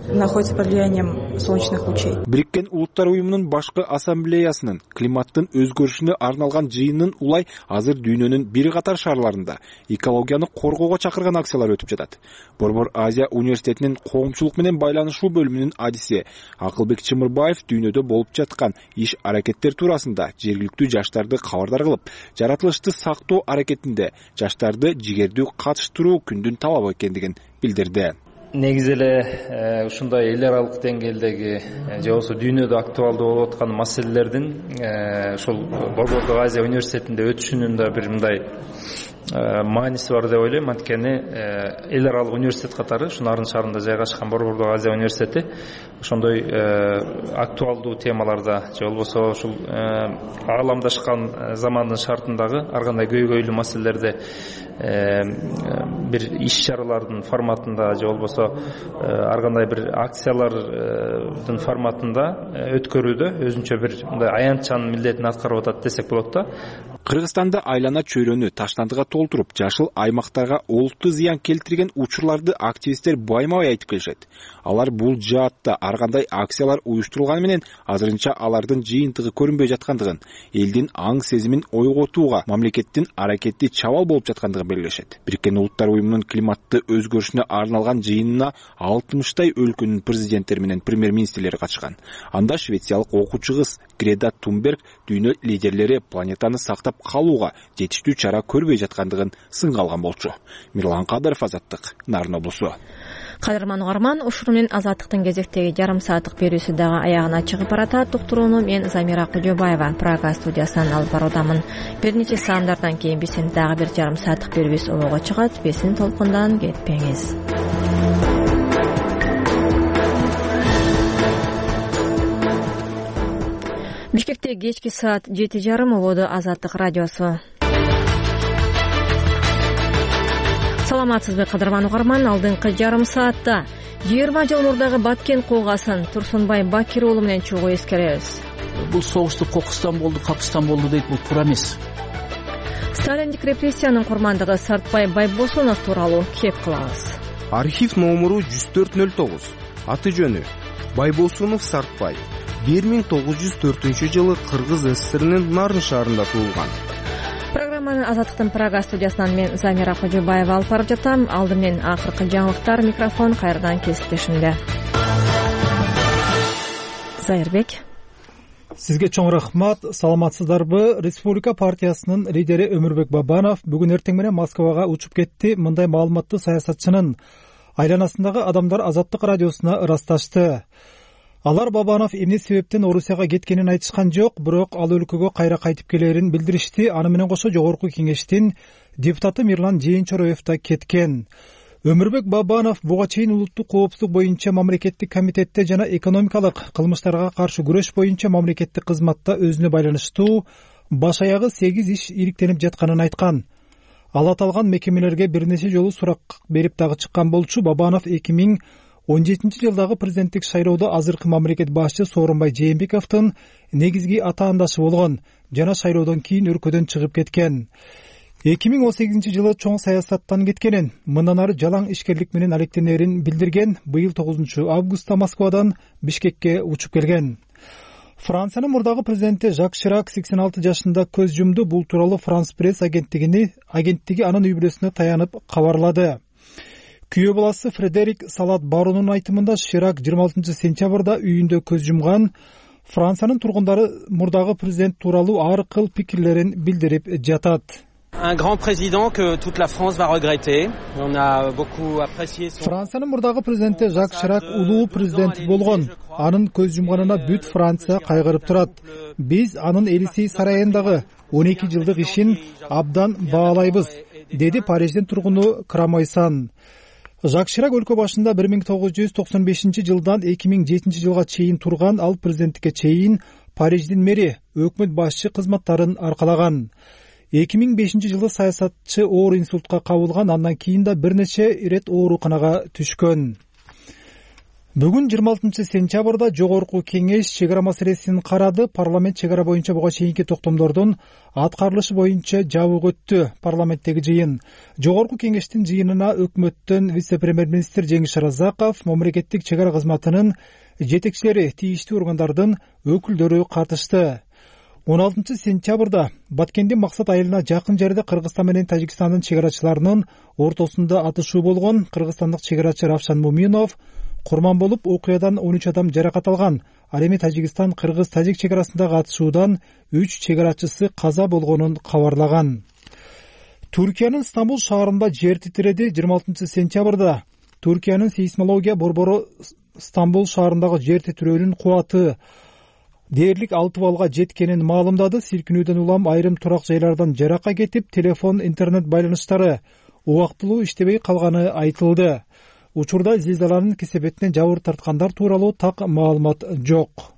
находится под влиянием солнечных лучей. Бириккен Улуттар уюмунун башкы ассамблеясынын климаттын өзгөрүшүнө арналган жыйынын улай азыр дүйнөнүн бир катар шаарларында экологияны коргоого чакырган акциялар өтүп жатат. Борбор Азия университетинин коомчулук менен байланышуу бөлүмүнүн адиси Акылбек Чымырбаев дүйнөдө болуп жаткан иш-аракеттер туурасында жергиликтүү жаштарды кабардар кылып, жаратылышты сактоо аракетинде жаштарды жигердүү катыштыруу күндүн талабы экендигин билдирди. Негизи эле ушундай эл аралык деңгээлдеги же болбосо дүйнөдө актуалдуу болуп аткан маселелердин ушул Борбордук Азия университетинде өтүшүнүн да бир мындай мааниси бар деп ойлойм. Анткени эл аралык университет катары ушу Нарын шаарында жайгашкан Борбордук Азия университети ошондой актуалдуу темаларда же болбосо ушул ааламдашкан замандын шартындагы ар кандай көйгөйлүү маселелерде бир иш-чаралардын форматында же болбосо ар кандай бир акциялардын форматында өткөрүүдө өзүнчө бир мындай аянтчанын милдетин аткарып атат десек болот да. Кыргызстанда айлана чөйрөнү таштандыга толтуруп, жашыл аймактарга олуттуу зыян келтирген учурларды активисттер байма-бай айтып келишет. Алар бул жаатта ар кандай акциялар уюштурулганы менен азырынча алардын жыйынтыгы көрүнбөй жаткандыгын, элдин аң сезимин ойготууга мамлекеттин аракети чабал болуп жаткандыгын белгилешет. Бириккен Улуттар уюмунун климатты өзгөрүшүнө арналган жыйынына 60 өлкөнүн президенттери менен премьер-министрлери катышкан. Анда швециялык окуучу кыз Грета Тунберг дүйнө лидерлери планетаны сактап калууга жетиштүү чара көрбөй жаткандыгын сынга алган болчу. Мирлан Кадыров, Азаттык, Нарын облусу. Кадырман угарман, ушуну менен Азаттыктын кезектеги жарым сааттык берүүсү дагы аягына чыгып баратат. Уктурууну мен Замира Кожобаева Прага студиясынан алып баруудамын. Бир нече саамдардан кийин биздин дагы бир жарым сааттык берүүбүз обого чыгат. Бесин толкундан кетпеңиз. Бишкекте кечки саат 7:30 ободу Азаттык радиосу. Саламатсызбы кадырман угарман, алдыңкы жарым саатта 20 жыл мурдагы Баткен куугасын Турсунбай Бакир уулу менен чогуу эскеребиз. Бул согушту кокустан болду, капыстан болду дейт, бул туура эмес. Сталиндик репрессиянын курмандыгы Сартбай Байбосунов тууралуу кеп кылабыз. Архив номуру 10409. Аты жөнү Байбосунов Сартбай. 1904 жылы Кыргыз СССРинин Нарын шаарында туулган. Программаны Азаттыктын Прага студиясынан мен Замира Кожобаева алып барып жатам. Алды менен акыркы жаңылыктар, микрофон кайрадан кесиптешимде. Зайырбек. Сизге чоң рахмат. Саламатсыздарбы? Республика партиясынын лидери Өмүрбек Бабанов бүгүн эртең менен Москвага учуп кетти. Мындай маалыматты саясатчынын айланасындагы адамдар Азаттык радиосуна ырасташты. Алар Бабанов эмне себептен Орусияга кеткенин айтышкан жок, бирок ал өлкөгө кайра кайтып келерин билдиришти. Аны менен кошо жогорку кеңештин депутаты Мирлан Жээнчороев да кеткен. Өмүрбек Бабанов буга чейин улуттук коопсуздук боюнча мамлекеттик комитетте жана экономикалык кылмыштарга каршы күрөш боюнча мамлекеттик кызматта өзүнө байланыштуу баш аягы 8 иш иликтенип жатканын айткан. Ал аталган мекемелерге бир нече жолу сурак берип дагы чыккан болчу. Бабанов 2017 жылдагы президенттик шайлоодо азыркы мамлекет башчы Сооронбай Жээнбековдун негизги атаандашы болгон жана шайлоодон кийин өлкөдөн чыгып кеткен. 2018 жылы чоң саясаттан кеткенин, мындан ары жалаң ишкерлик менен алектенерин билдирген. Быйыл 9 августта Москвадан Бишкекке учуп келген. Франциянын мурдагы президенти Жак Ширак 86 жашында көз жумду. Бул тууралуу Франс пресс агенттиги анын үй бүлөсүнө таянып кабарлады. Күйөө баласы Фредерик Салат Барунун айтымында Ширак 26 сентябрда үйүндө көз жумган. Франциянын тургундары мурдагы президент тууралуу ар кыл пикирлерин билдирип жатат. Un grand président que toute la France va regretter. On a beaucoup apprécié son... Франциянын мурдагы президенти Жак Ширак улуу президент болгон. Анын көз жумганына бүт Франция кайгырып турат. Биз анын Элисей сарайындагы 12 жылдык ишин абдан баалайбыз, деди Париждин тургуну Крамойсан. Жак Ширак өлкө башында 1995 жылдан 2007 жылга чейин турган. Ал президенттикке чейин Париждин мэри, өкмөт башчы кызматтарын аркалаган. 2005 жылы саясатчы оор инсультка кабылган, андан кийин да бир нече ирет ооруканага түшкөн. Бүгүн 26 сентябрда жогорку кеңеш чек ара маселесин карады. Парламент чек ара боюнча буга чейинки токтомдордун аткарылышы боюнча жабык өттү. Парламенттеги жыйын. Жогорку кеңештин жыйынына өкмөттөн вице-премьер-министр Жеңиш Разаков, мамлекеттик чек ара кызматынын жетекчилери, тийиштүү органдардын өкүлдөрү катышты. 16 сентябрда Баткендин Максат айылына жакын жерде Кыргызстан менен Тажикстандын чек арачыларынын ортосунда атышуу болгон. Кыргызстандык чек арачы Равшан Муминов курман болуп, окуядан 13 адам жаракат алган. Ал эми Тажикстан Кыргыз-Тажик чек арасындагы атышуудан 3 чек арачысы каза болгонун кабарлаган. Түркиянын Стамбул шаарында жер титиреди. 26 сентябрда Түркиянын сейсмология борбору Стамбул шаарындагы жер титирөөнүн кубаты дээрлик 6 балга жеткенин маалымдады. Силкинүүдөн улам айрым турак жайлардан жаракка кетип, телефон, интернет байланыштары убактылуу иштебей калганы айтылды. Учурда зилзаланын кесепетинен жабыр тарткандар тууралуу так маалымат жок.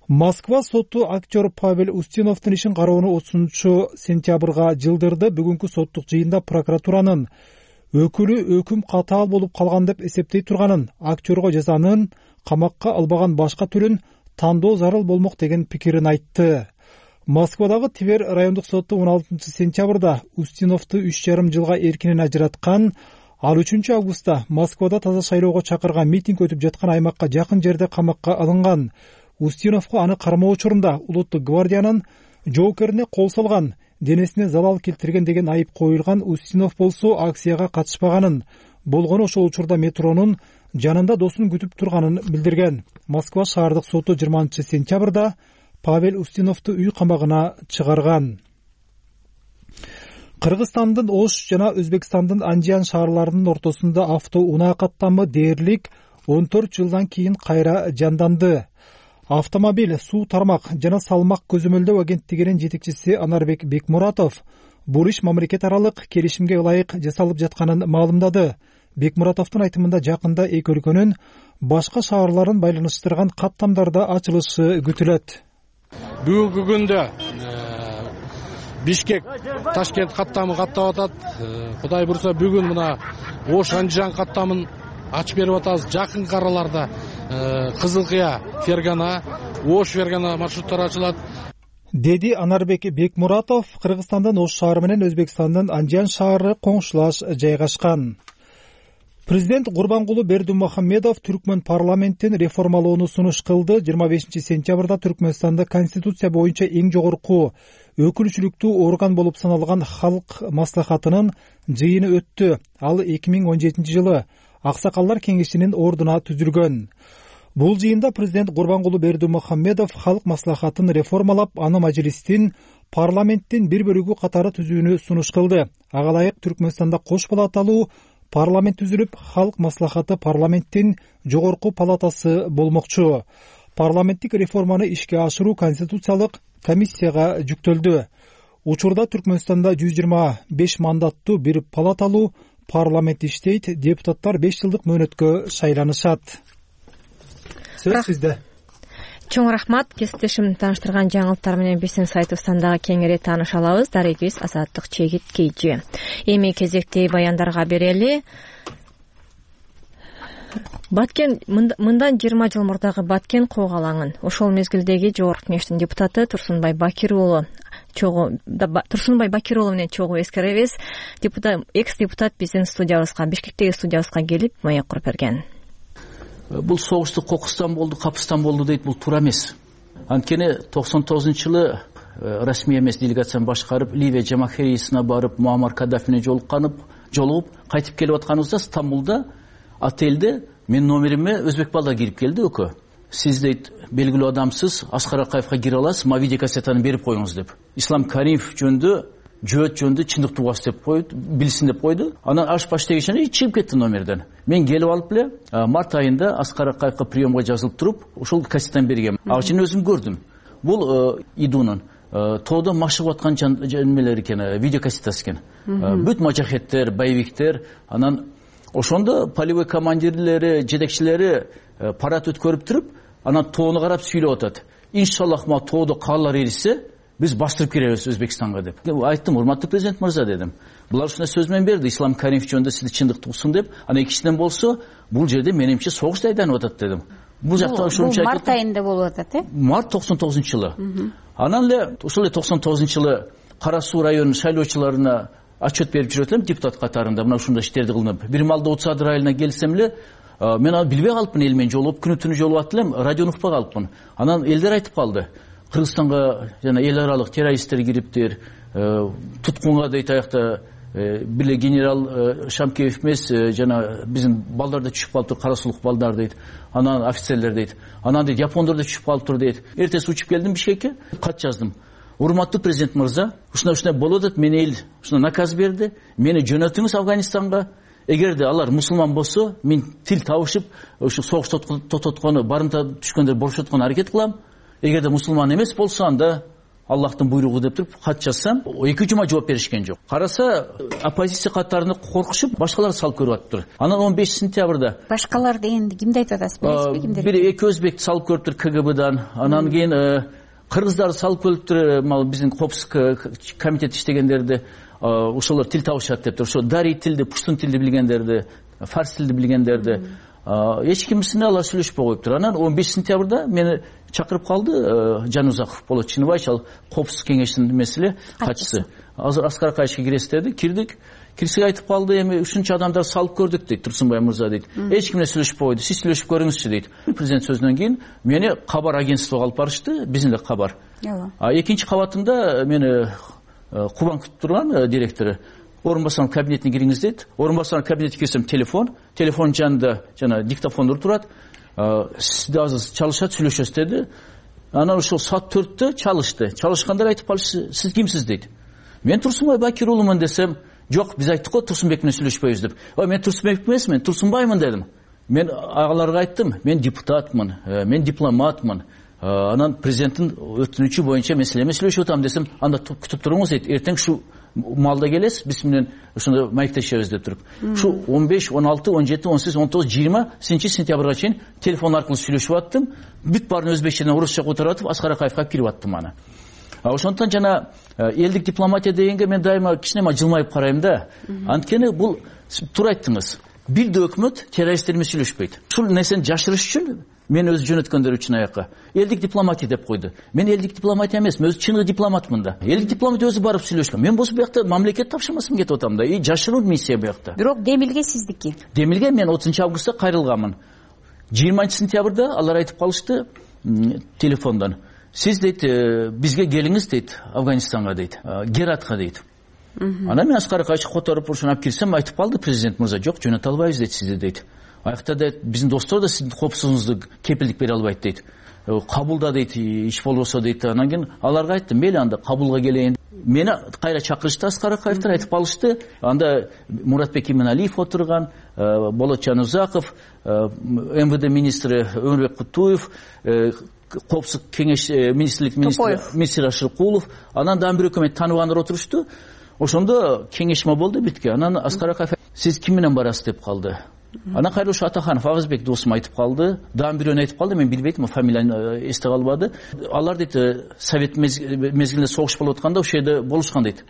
Москва соту актер Павел Устиновдун ишин кароону 30 сентябрга жылдырды. Бүгүнкү соттук жыйында прокуратуранын өкүлү өкүм катаал болуп калган деп эсептей турганын, актерго жазанын камакка албаган башка түрүн тандоо зарыл болмок деген пикирин айтты. Москвадагы Тивер райондук соту 16 сентябрда Устиновду 3,5 жылга эркинен ажыраткан. Ал 3 августта Москвада таза шайлоого чакырган митинг өтүп жаткан аймакка жакын жерде камакка алынган. Устиновго аны кармоо учурунда улуттук гвардиянын жоокерине кол салган, денесине залал келтирген деген айып коюлган. Устинов болсо акцияга катышпаганын, болгону ошол учурда метронун жанында досун күтүп турганын билдирген. Москва шаардык соту 20 сентябрда Павел Устиновду үй камагына чыгарган. Кыргызстандын Ош жана Өзбекстандын Анжан шаарларынын ортосунда автоунаа каттамы дээрлик 14 жылдан кийин кайра жанданды. Автомобиль, суу тармак жана салмак көзөмөлдөө агенттигинин жетекчиси Анарбек Бекмуратов бул иш мамлекет аралык келишимге ылайык жасалып жатканын маалымдады. Бекмуратовдун айтымында жакында эки өлкөнүн башка шаарларын байланыштырган каттамдарда ачылышы күтүлөт. Бүгүнкү күндө Бишкек Ташкент каттамы каттап атат. Кудай бурса бүгүн мына Ош Анжан каттамын ачып берип атабыз. Жакынкы араларда Кызыл Кыя Фергана, Ош Фергана маршруттары ачылат, деди Анарбек Бекмуратов. Кыргызстандын Ош шаары менен Өзбекстандын Анжан шаары коңшулаш жайгашкан. Президент Гурбангулу Бердимухамедов Түркмөн парламентин реформалоону сунуш кылды. 25 сентябрда Түркмөнстанда конституция боюнча эң жогорку өкүлчүлүктүү орган болуп саналган Халк маслахатынын жыйыны өттү. Ал 2017 жылы Аксакалдар кеңешинин ордуна түзүлгөн. Бул жыйында президент Гурбангулу Бердимухамедов Халк маслахатын реформалап, аны мажлистин парламенттин бир бөлүгү катары түзүүнү сунуш кылды. Ага ылайык Түркмөнстанда кош палаталуу парламент түзүлүп, Халк маслахаты парламенттин жогорку палатасы болмокчу. Парламенттик реформаны ишке ашыруу конституциялык комиссияга жүктөлдү. Учурда Түркмөнстанда 125 мандаттуу бир палаталуу парламент иштейт. Депутаттар 5 жылдык мөөнөткө шайланышат. Сөз сизде. Чоң рахмат. Кесиптешим тааныштырган жаңылыктар менен биздин сайтыбыздан дагы кеңири тааныша алабыз. Дарегибиз Азаттык Чегит Кейжи. Эми кезекти баяндарга берели. Баткен мындан 20 жыл мурдагы Баткен кок алаңын ошол мезгилдеги Жогорку Кеңештин депутаты Турсунбай Бакир уулу менен чогуу эскеребиз. Экс-депутат биздин студиябызга, Бишкектеги студиябызга келип маек куруп берген. Бул согушту Кокустан болду, Капыстан болду дейт, бул туура эмес. Анткени 99-жылы расмий эмес делегацияны башкарып, Ливия Жамахирисине барып, Муаммар Каддафине жолугуп кайтып келип атканыбызда Стамбулда отелде менин номериме өзбек балдар кирип келди. Өкө, сиз дейт белгилүү адамсыз, Аскар Акаевга кире аласыз, ма видеокассетаны берип коюңуз деп. Ислам Каримов жөнүндө, жөөт жөнүндө чындык тугас деп койду, билсин деп койду. Анан аш дегенче чыгып кетти номерден. Мен келип алып эле март айында Аскар Акаевга приемга жазылып туруп, ошол кассетаны берген. Ачын өзүм көрдүм. Бул идунун тоодо машыгып аткан немелер экен, видеокассетасы экен. Бүт мажахеттер, боевиктер, анан ошондо полевой командирлери, жетекчилери парад өткөрүп туруп, анан тоону карап сүйлөп атат. Иншаллах ма тоодо каалар эрисе, биз бастырып киребиз Өзбекстанга деп. Айттым, урматтуу президент мырза дедим. Булар ушундай сөз менен берди, Ислам Каримов жөнүндө сизди чындык тугсун деп. Анан экинчиден болсо, бул жерде менимче согуш айданып атат дедим. Бул жакта ошончо март айында болуп атат, Март 99-жылы. Анан эле ошол 99-жылы Кара Суу районунун шайлоочуларына отчет берип жүрөт элем депутат катарында, мына ушундай иштерди кылынып. Бир малда Утсадыр айылына келсем эле, мен аны билбей калыпмын, эл менен жолугуп, күнү-түнү жолугат элем, радиону укпай калыпмын. Анан элдер айтып калды. Кыргызстанга жана эл аралык террористтер кириптир, туткунга дейт аякта биле генерал Шамкеев эмес, жана биздин балдар да түшүп калыптыр, кара сулук балдар дейт. Анан офицерлер дейт. Анан дейт япондор да түшүп калыптыр дейт. Эртеси учуп келдим Бишкекке, кат жаздым. Урматтуу президент мырза, ушундай болуп атат, мени эл ушундай наказ берди. Мени жөнөтүңүз Афганистанга. Эгерде алар мусулман болсо, мен тил табышып, ушу согуш тототкону, барымта түшкөндөр боршоткону аракет кылам. Эгерде мусулман эмес болсо, анда Аллахтын буйругу деп туруп кат жазсам, 2 жума жооп беришкен жок. Караса, оппозиция каттарында коркушуп, башкалар салып көрүп атыптыр. Анан 15 сентябрда башкалар дегенди кимди айтып атасыз, билесизби кимдер? Бир эки өзбекти салып көрүптүр КГБдан. Анан кийин кыргыздарды салып көрүптүр, биздин Копск комитет иштегендерди. Ошолор тил табышат дептир. Ошо дарий тилди, пуштун тилди билгендерди, фарс тилди билгендерди эч кимисине алар сүйлөшпөй коюптур. Анан 15 сентябрда мени чакырып калды Жанузаков Болот Чиноваевич, ал Копск кеңешинин эмеси катчысы. Азыр Аскар Акаевичке киресиз деди. Кирдик. Кирсек айтып калды, эми ушунча адамдар салып көрдүк дейт Турсунбай мырза дейт. Эч ким менен сүйлөшпөй койду. Сиз сүйлөшүп көрүңүзчү дейт. Президент сөзүнөн кийин мени кабар агентствого алып барышты, биздин эле кабар. Экинчи кабатында мени Кубан күтүп турган директору орун басарынын кабинетине кириңиз дейт. Орун басарынын кабинетине кирсем телефон жанында жана диктофондор турат. Сизде азыр чалышат, сүйлөшөсүз деди. Анан ошол саат 4-тө чалышкандар айтып калышты, сиз кимсиз дейт. Мен Турсунбай Бакир уулумун десем, жок, биз айттык го Турсунбек менен сүйлөшпөйбүз деп. Мен Турсунбек эмесмин, Турсунбаймын дедим. Мен агаларга айттым, мен депутатмын, мен дипломатмын. Анан президенттин өтүнүчү боюнча мен силер менен сүйлөшүп атам десем, анда күтүп туруңуз дейт. Эртең шу маалда келесиз, биз менен ошондо маектешебиз деп туруп. Шу 15, 16, 17, 18, 19, 20 сентябрга чейин телефон аркылуу сүйлөшүп аттым. Бүт баарын өзбекчеден орусча которатып, Аскар Акаевге кирип аттым аны. Ошондон жана элдик дипломатия дегенге мен дайыма кичине жылмайып карайм да. Анткени бул туура айттыңыз. Бир да өкмөт террористтер менен сүйлөшпөйт. Ушул нерсени жашырыш үчүн мен өзү жөнөткөндөр үчүн аякка элдик дипломатия деп койду. Мен элдик дипломатия эмес, мен өзү чыныгы дипломатмын да. Элдик дипломатия өзү барып сүйлөшкөн. Мен болсо буякта мамлекет тапшырмасын кетип атам да. Жашыруу миссия буякта. Бирок Демилге сиздики. Демилге мен 30 августта кайрылганмын. 20 сентябрда алар айтып калышты телефондон. Сиз дейт, бизге келиңиз дейт, Афганистанга дейт, Гератка дейт. Анан мен Аскар Акаевди которуп ушуну алып кирсем, айтып калды президент мырза, жок, жөнөтө албайбыз дейт сизди дейт. Аякта да биздин достор да сиздин коопсуздугуңузду кепилдик бере албайт дейт. Кабулда дейт, иш болбосо дейт. Анан кийин аларга айттым, мейли анда Кабулга келейин. Мени кайра чакырышты Аскар Акаевдер, айтып калышты. Анда Муратбек Иманалиев отурган, Болот Жанузаков, МВД министри Өмүрбек Кутуев, коопсуздук кеңеш министрлик министри Ашыркулов, анан дагы бир өкмөт тааныбандар отурушту. Ошондо кеңешме болду битке. Анан Аскар Акаев сиз ким менен барасыз деп калды. Анан кайра ушу Атаханов Агызбек досум айтып калды. Дагы бирөөнү айтып калды, мен билбейт, фамилияны эсте калбады. Алар дейт совет мезгилинде согуш болуп атканда ошол жерде болушкан дейт.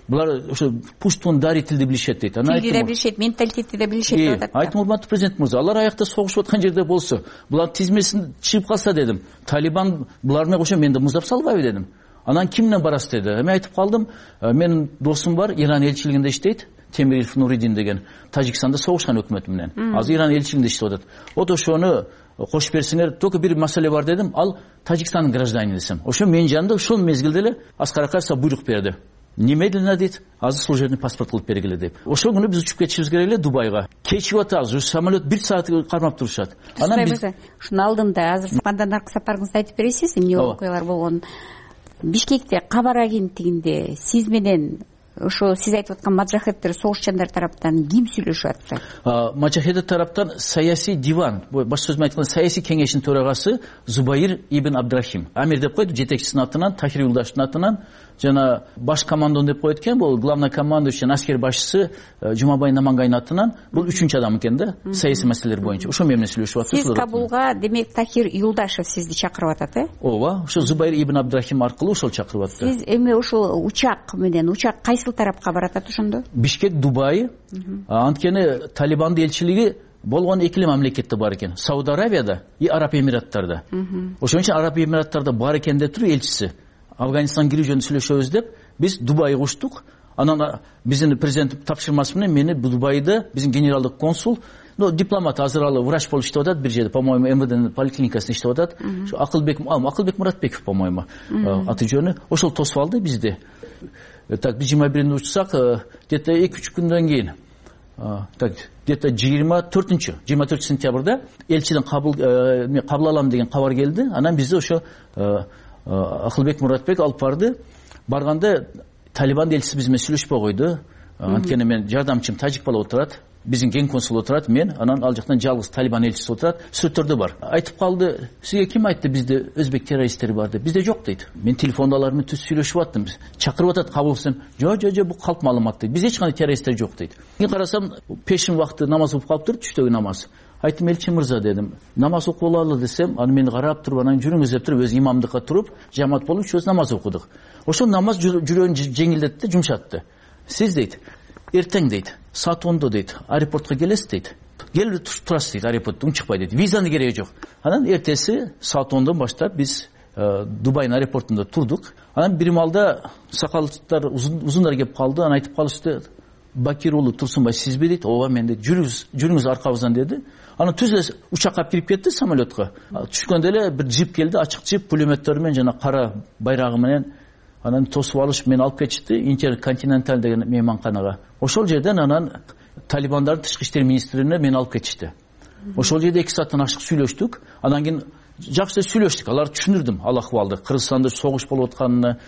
Булар ошо пуштун дари тилди билишет дейт. Анан тилди да билишет, менталитетти да билишет деп атат. Айттым, урматтуу президент мырза, алар аякта согушуп аткан жерде болсо, булар тизмесин чыгып калса дедим. Талибан булар менен кошо менди муздап салбайбы дедим. Анан ким менен барасыз деди. Мен айтып калдым, менин досум бар, Иран элчилигинде иштейт, Темирилов Нуридин деген, Тажикстанда согушкан өкмөт менен. Азыр Иран элчилигинде иштеп атат. Вот ошону кошуп берсеңер, только бир маселе бар дедим, ал Тажикстандын гражданины десем. Ошо менин жанымда ушул мезгилде эле Аскар Акаев буйрук берди. Немедленно дейт, азыр служебный паспорт кылып бергиле деп. Ошол күнү биз учуп кетишибиз керек эле Дубайга. Кечип атабыз, ушу самолет 1 саат кармап турушат. Анан биз ушуну алдында азыр андан сапарыңызды айтып бересиз, эмне окуялар болгонун. Бишкекте Кабар агенттигинде сиз менен ошо сиз айтып аткан маджахеттер, согушчандар тараптан ким сүйлөшүп атты? Маджахеттер тараптан саясий диван, башка сөз менен айтканда саясий кеңештин төрагасы Зубайыр ибн Абдрахим. Амир деп койду, жетекчисинин атынан, Тахир Юлдаштын атынан, жана баш командон деп коет экен, бул главный командующий, аскер башчысы Жумабай Намангайдын атынан, бул 3-чү адам экен да, саясий маселелер боюнча. Ошо менен сүйлөшүп атты. Сиз Кабулга, демек, Тахир Юлдашев сизди чакырып атат, Ооба, ошо Зубайыр ибн Абдрахим аркылуу ошол чакырып атты. Сиз эми ошол учак кайсыл тарапка барат ошондо? Бишкек, Дубай. Анткени Талибандын элчилиги болгон эки эле мамлекетте бар экен. Сауд Арабияда и Араб Эмираттарда. Ошон үчүн Араб Эмираттарда бар экен деп туруп элчиси Афганистан кирүү жөнүндө сүйлөшөбүз деп биз Дубайга учтук. Анан биздин президент тапшырмасы менен мени Дубайда биздин генералдык консул, дипломат, азыр ал врач болуп иштеп атат, бир жерде, по-моему, МВДнын поликлиникасында иштеп атат. Акылбек Муратбеков, по-моему, аты жөнү. Ошол тосуп алды бизди. Так, биз 21-нде учсак, где-то 2-3 күндөн кийин, так, где-то 24 сентябрда элчиден кабыл алам деген кабар келди. Анан бизде ошо Акылбек Муратбек алып барды. Барганда Талибан элчиси биз менен сүйлөшпөй койду. Анткени мен жардамчым тажик бала отурат, биздин ген консул отурат, мен, анан ал жактан жалгыз Талибан элчиси отурат. Сүрөттөрдө бар. Айтып калды, сизге ким айтты бизде өзбек террористтери бар деп? Бизде жок дейт. Мен телефондо алар менен түз сүйлөшүп аттым. Чакырып атат Кабулдан. Жок, бул калп маалымат дейт. Бизде эч кандай террористтер жок дейт. Мен карасам, пешин вакыты намаз окуп калыптыр, түштөгү намаз. Айттым, элчи мырза дедим, намаз окуулалы десем, аны мени карап туруп, анан жүрүңүз деп туруп, өзү имамдыкка туруп, жамаат болуп, үчөөбүз намаз окудук. Ошол намаз жүрөөнү жеңилдетти, жумшатты. Сиз дейт, эртең дейт, саат 10-до дейт, аэропортко келесиз дейт. Келип турасыз дейт, аэропорттон чыкпай дейт. Визанын кереги жок. Анан эртеси саат 10-дон баштап биз Дубайдын аэропортунда турдук. Анан бир маалда сакалдыктар, узундар келип калды, анан айтып калышты, Бакир уулу Турсунбай сизби дейт. Ооба мен дейт. Жүрүңүз аркабыздан деди. Анан түз эле учакка кирип кетти самолетко. Түшкөндө эле бир джип келди, ачык джип, пулеметтер менен жана кара байрагы менен. Анан тосуп алышып мени алып кетишти Интерконтиненталь деген мейманканага. Ошол жерден анан Талибандардын тышкы иштер министрине мени алып кетишти. Ошол жерде 2 сааттан ашык сүйлөштүк. Анан кийин жакшы сүйлөштүк, аларды түшүндүрдүм ал акыбалды. Кыргызстанда согуш болуп атканын,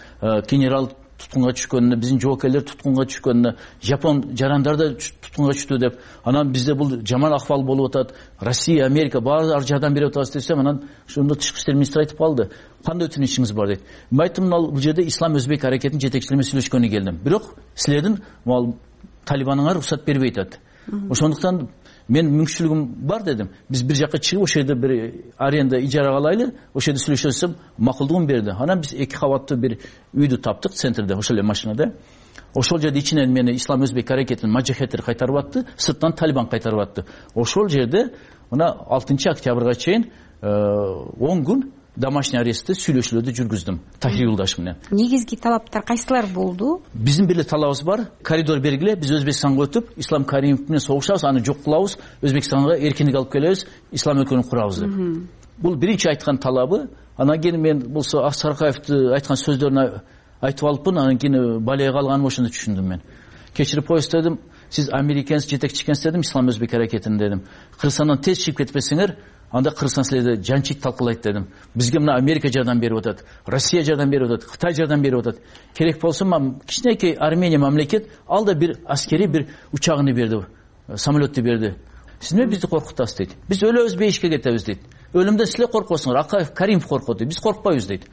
генерал туткунга түшкөнүнө, биздин жоокерлер туткунга түшкөнүнө, жапон жарандар да туткунга түштү деп, анан бизде бул жаман акыбал болуп атат, Россия, Америка баары жардам берип атабыз десем, анан ошондо тышкы иштер министри айтып калды, кандай өтүнүчүңүз бар дейт. Мен айттым, бул жерде ислам өзбек аракетинин жетекчилери менен сүйлөшкөнү келдим, бирок силердин талибаныңар уруксат бербей атат. Ошондуктан мен мүмкүнчүлүгүм бар дедим. Биз бир жакка чыгып, ошол жерде бир аренда ижарага алайлы, ошол жерде сүйлөшөсөм, макулдугун берди. Анан биз 2 кабаттуу бир үйдү таптык центрде, ошол эле машинада. Ошол жерде ичинен мени ислам өзбек аракетинин маджахеттери кайтарып атты, сырттан талибан кайтарып атты. Ошол жерде мына 6 октябрга чейин 10 күн домашний арестте сүйлөшүүлөрдү жүргүздүм Тахир Юлдаш менен. Негизги талаптар кайсылар болду? Биздин бир эле талабыбыз бар, коридор бергиле, биз Өзбекстанга өтүп, Ислам Каримов менен согушабыз, аны жок кылабыз, Өзбекстанга эркиндик алып келебиз, ислам өлкөнү курабыз деп. Бул биринчи айткан талабы. Анан кийин мен болсо Аксаркаевди айткан сөздөрүн айтып алыппын, анан кийин балия калганым ошондо түшүндүм мен. Кечирип коесуз дедим, сиз американец жетекчи экенсиз дедим, ислам өзбек аракетин дедим. Кыргызстандан тез чыгып кетпесеңер, анда Кыргызстан силерди жанчийт талкалайт дедим. Бизге мына Америка жардам берип атат, Россия жардам берип атат, Кытай жардам берип атат. Керек болсо кичинекей Армения мамлекет ал да бир аскери бир учагын берди, самолетту берди. Сиз эмне бизди коркутасыз дейт. Биз өлөбүз, бейишке кетебиз дейт. Өлүмдөн силер коркосуңар, Акаев, Каримов коркот дейт. Биз коркпайбыз дейт.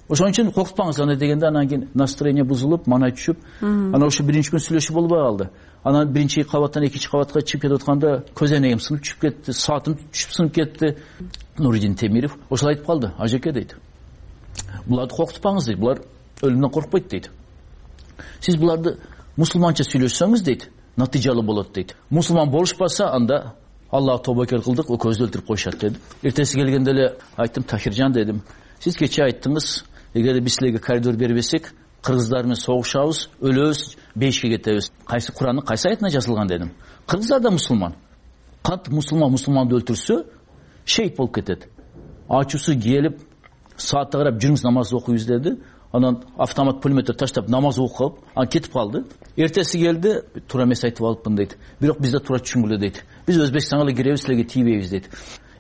Ошон үчүн коркутпаңыз аны дегенде, анан кийин настроение бузулуп, манай түшүп, анан ошо биринчи күн сүйлөшүү болбой калды. Анан биринчи кабаттан экинчи кабатка чыгып кетип атканда көз айнегим сынып түшүп кетти, саатым түшүп сынып кетти. Нуридин Темиров ошол айтып калды, ажеке дейт. Буларды коркутпаңыз дейт, булар өлүмдөн коркпойт дейт. Сиз буларды мусулманча сүйлөшсөңүз дейт, натыйжалуу болот дейт. Мусулман болушпаса, анда Аллах тобокер кылдык, экөөбүздү өлтүрүп коюшат деди. Эртеси келгенде эле айттым, Тахиржан дедим, сиз кечээ айттыңыз, эгерде биз силерге коридор бербесек, кыргыздар менен согушабыз, өлөбүз, бейишке кетебиз. Кайсы Куранның кайсы аятына жазылган дедим. Кыргыздар да мусулман. Кантип мусулманды өлтүрсө, шейит болуп кетет. Ачуусу келип, саатта карап жүрүңүз намаз окуйбуз деди. Анан автомат пулеметтер таштап намаз окуп, анан кетип калды. Эртеси келди, туура эмес айтып алыпмын дейт. Бирок бизде туура түшүнгүлө дейт. Биз Өзбекстанга эле киребиз, силерге тийбейбиз дейт.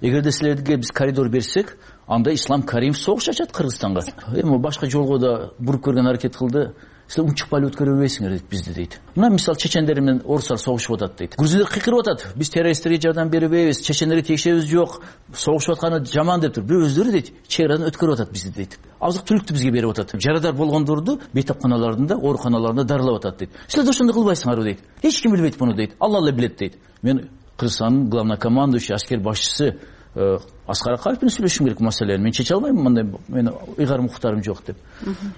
Эгерде силерге биз коридор берсек, анда Ислам Каримов согуш ачат Кыргызстанга. Эми башка жолго да буруп көргөн аракет кылды. Силер унчукпай эле өткөрө бербейсиңер дейт бизди дейт. Мына мисал чечендер менен орустар согушуп атат дейт. Грузиндер кыйкырып атат. Биз террористтерге жардам бербейбиз, чечендерге тиешебиз жок, согушуп атканы жаман деп тур. Бирок өздөрү дейт, чек-арадан өткөрүп атат бизди дейт. Азык түлүктү бизге берип атат. Жарадар болгондорду бейтапканаларында, ооруканаларында дарылап атат дейт. Силер да ошондой кылбайсыңарбы дейт. Эч ким билбейт муну дейт. Алла эле билет дейт. Мен Кыргызстандын главнокомандующий, аскер башчысы Аскар Акаев менен сүйлөшүм керек маселени. Мен чече албайм, мындай мен ыйгарым укуктарым жок деп.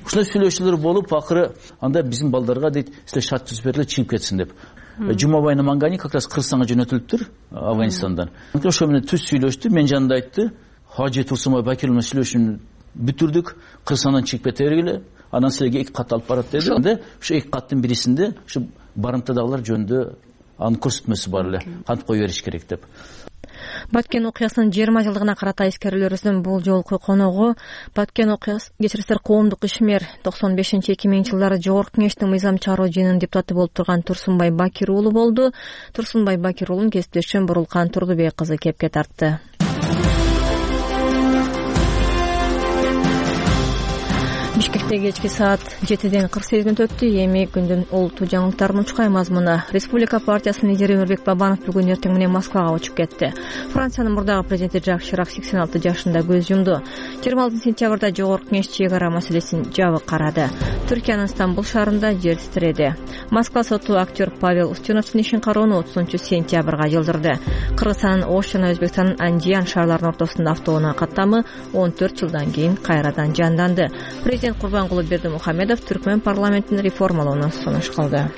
Ушундай сүйлөшүүлөр болуп, акыры анда биздин балдарга дейт, силер шарт түзүп бергиле, чыгып кетсин деп. Жумабай Намангани как раз Кыргызстанга жөнөтүлүптүр Афганистандан. Ошо менен түз сүйлөштү, мен жанында айтты, Хажы Турсунбай Бакир менен сүйлөшүүнү бүтүрдүк, Кыргызстандан чыгып кете бергиле, анан силерге 2 кат алып барат деди. Анда ошо 2 каттын бирисинде ушу барымтадагылар жөнүндө анын көрсөтмөсү бар эле, кантип кое бериш керек деп. Баткен окуясынын 20 жылдыгына карата эскерүүлөрүбүздүн бул жолку коногу Баткен окуясы кечирисиздер коомдук ишмер 95-2000 жылдары Жогорку Кеңештин мыйзам чыгаруу жыйынынын депутаты болуп турган Турсунбай Бакир уулу болду. Турсунбай Бакир уулун кесиптешим Бурулкан Турдубек кызы кепке тартты. Бишкекте кечки саат 7:48 өттү. Эми күндүн олуттуу жаңылыктарынын учкай мазмуну. Республика партиясынын лидери Өмүрбек Бабанов бүгүн эртең менен Москвага учуп кетти. Франциянын мурдагы президенти Жак Ширак 86 жашында көз жумду. 26 сентябрда Жогорку Кеңеш чек ара маселесин жабык карады. Түркиянын Стамбул шаарында жер титиреди. Москва соту актер Павел Устюновдун ишин кароону 30-сентябрга жылдырды. Кыргызстандын Ош жана Өзбекстандын Андиян шаарларынын ортосунда автоунаа каттамы 14 жылдан кийин кайрадан жанданды. Президент Курбангулы Бердимухамедов Түркмөн парламентин реформалоону сунуш кылды.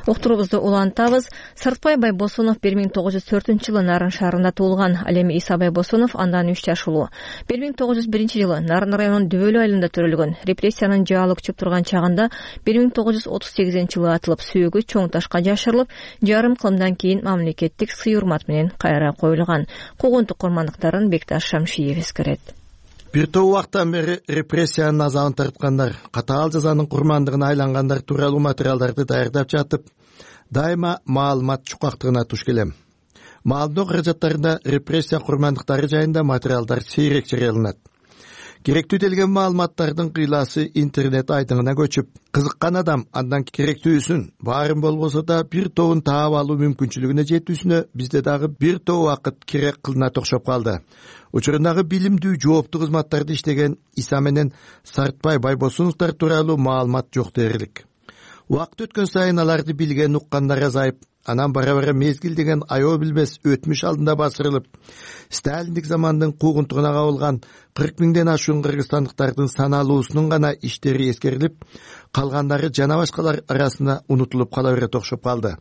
Уктуруубузду улантабыз. Сыртбай Байбосунов 1904-жылы Нарын шаарында туулган. Ал эми Иса Байбосунов андан 3 жаш улуу. 1901-жылы Нарын районунун Дөбөлү айылында төрөлгөн. Репрессиянын жаалы күчүп турган чагында 1938-жылы атылып, сүйөгү чоң ташка жашырылып, жарым кылымдан кийин мамлекеттик сый урмат менен кайра коюлган. Куугунтук курмандыктарын Бекташ Шамшиев эскерет. Бир топ убактан бери репрессиянын азабын тарткандар, катаал жазанын курмандыгына айлангандар тууралуу материалдарды даярдап жатып, дайыма маалымат чукактыгына туш келем. Маалымдоо каражаттарында репрессия курмандыктары жайында материалдар сейрек жарыяланат. Керектүү делген маалыматтардын кыйласы интернет айдыңына көчүп, кызыккан адам андан керектүүсүн баарын болбосо да бир тобун таап алуу мүмкүнчүлүгүнө жетүүсүнө бизде дагы бир топ убакыт керек кылынат окшоп калды. Учурундагы билимдүү жооптуу кызматтарды иштеген Иса менен Сартбай Байбосуновдор тууралуу маалымат жок дээрлик. Убакыт өткөн сайын аларды билген уккандар азайып, анан бара-бара мезгил деген аябы билбес өтмүш алдында басырылып, сталиндик замандын куугунтугуна кабылган 40 миңден ашуун кыргызстандыктардын саналуусунун гана иштери эскерилип, калгандары жана башкалар арасында унутулуп кала берет окшоп калды.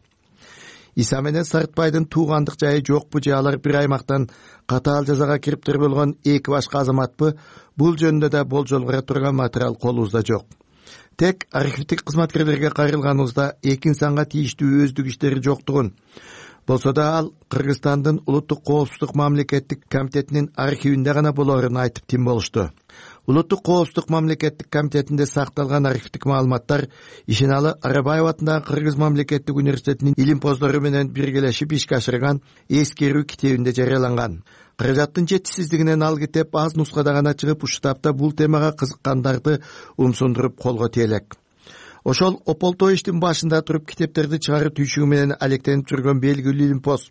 Иса менен Сартбайдын туугандык жайы жокпу же алар бир аймактан катаал жазага кириптир болгон эки башка азаматпы, бул жөнүндө да болжол бара турган материал колубузда жок. Тек архивдик кызматкерлерге кайрылганыбызда эки инсанга тийиштүү өздүк иштери жоктугун, болсо да ал Кыргызстандын улуттук коопсуздук мамлекеттик комитетинин архивинде гана болоорун айтып тим болушту. Улуттук коопсуздук мамлекеттик комитетинде сакталган архивдик маалыматтар Ишеналы Арабаев атындагы Кыргыз мамлекеттик университетинин илимпоздору менен биргелешип ишке ашырган эскерүү китебинде жарыяланган. Каражаттын жетишсиздигинен ал китеп аз нускада гана чыгып, уштапта бул темага кызыккандарды умсундуруп колго тиелек. Ошол ополтой иштин башында туруп китептерди чыгаруу түйшүгү менен алектенип жүргөн белгилүү илимпоз,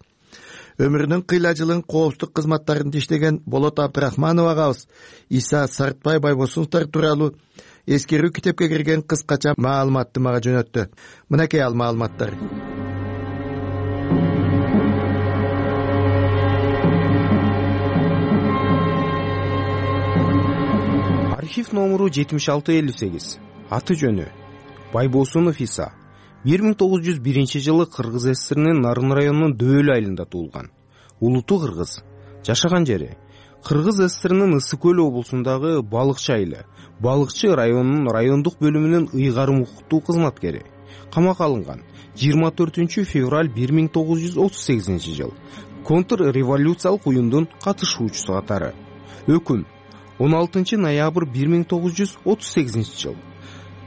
өмүрүнүн кыйла жылын коопсуздук кызматтарында иштеген Болот Абдрахманов агабыз Иса Сартбай Байбосуновдор тууралуу эскерүү китепке кирген кыскача маалыматты мага жөнөттү. Мынакей ал маалыматтар. Архив номуру 7658. Аты жөнү Байбосунов Иса. 1901 жылы Кыргыз ССРнин Нарын районунун Дөөл айылында туулган. Улуту кыргыз. Жашаган жери Кыргыз ССРнин Ысык көл облусундагы Балыкчы айылы. Балыкчы районунун райондук бөлүмүнүн ыйгарым укуктуу кызматкери. Камакка алынган 24 февраль 1938 жыл. Контрреволюциялык уюмдун катышуучусу катары. Өкүм 16 ноябрь 1938 жыл.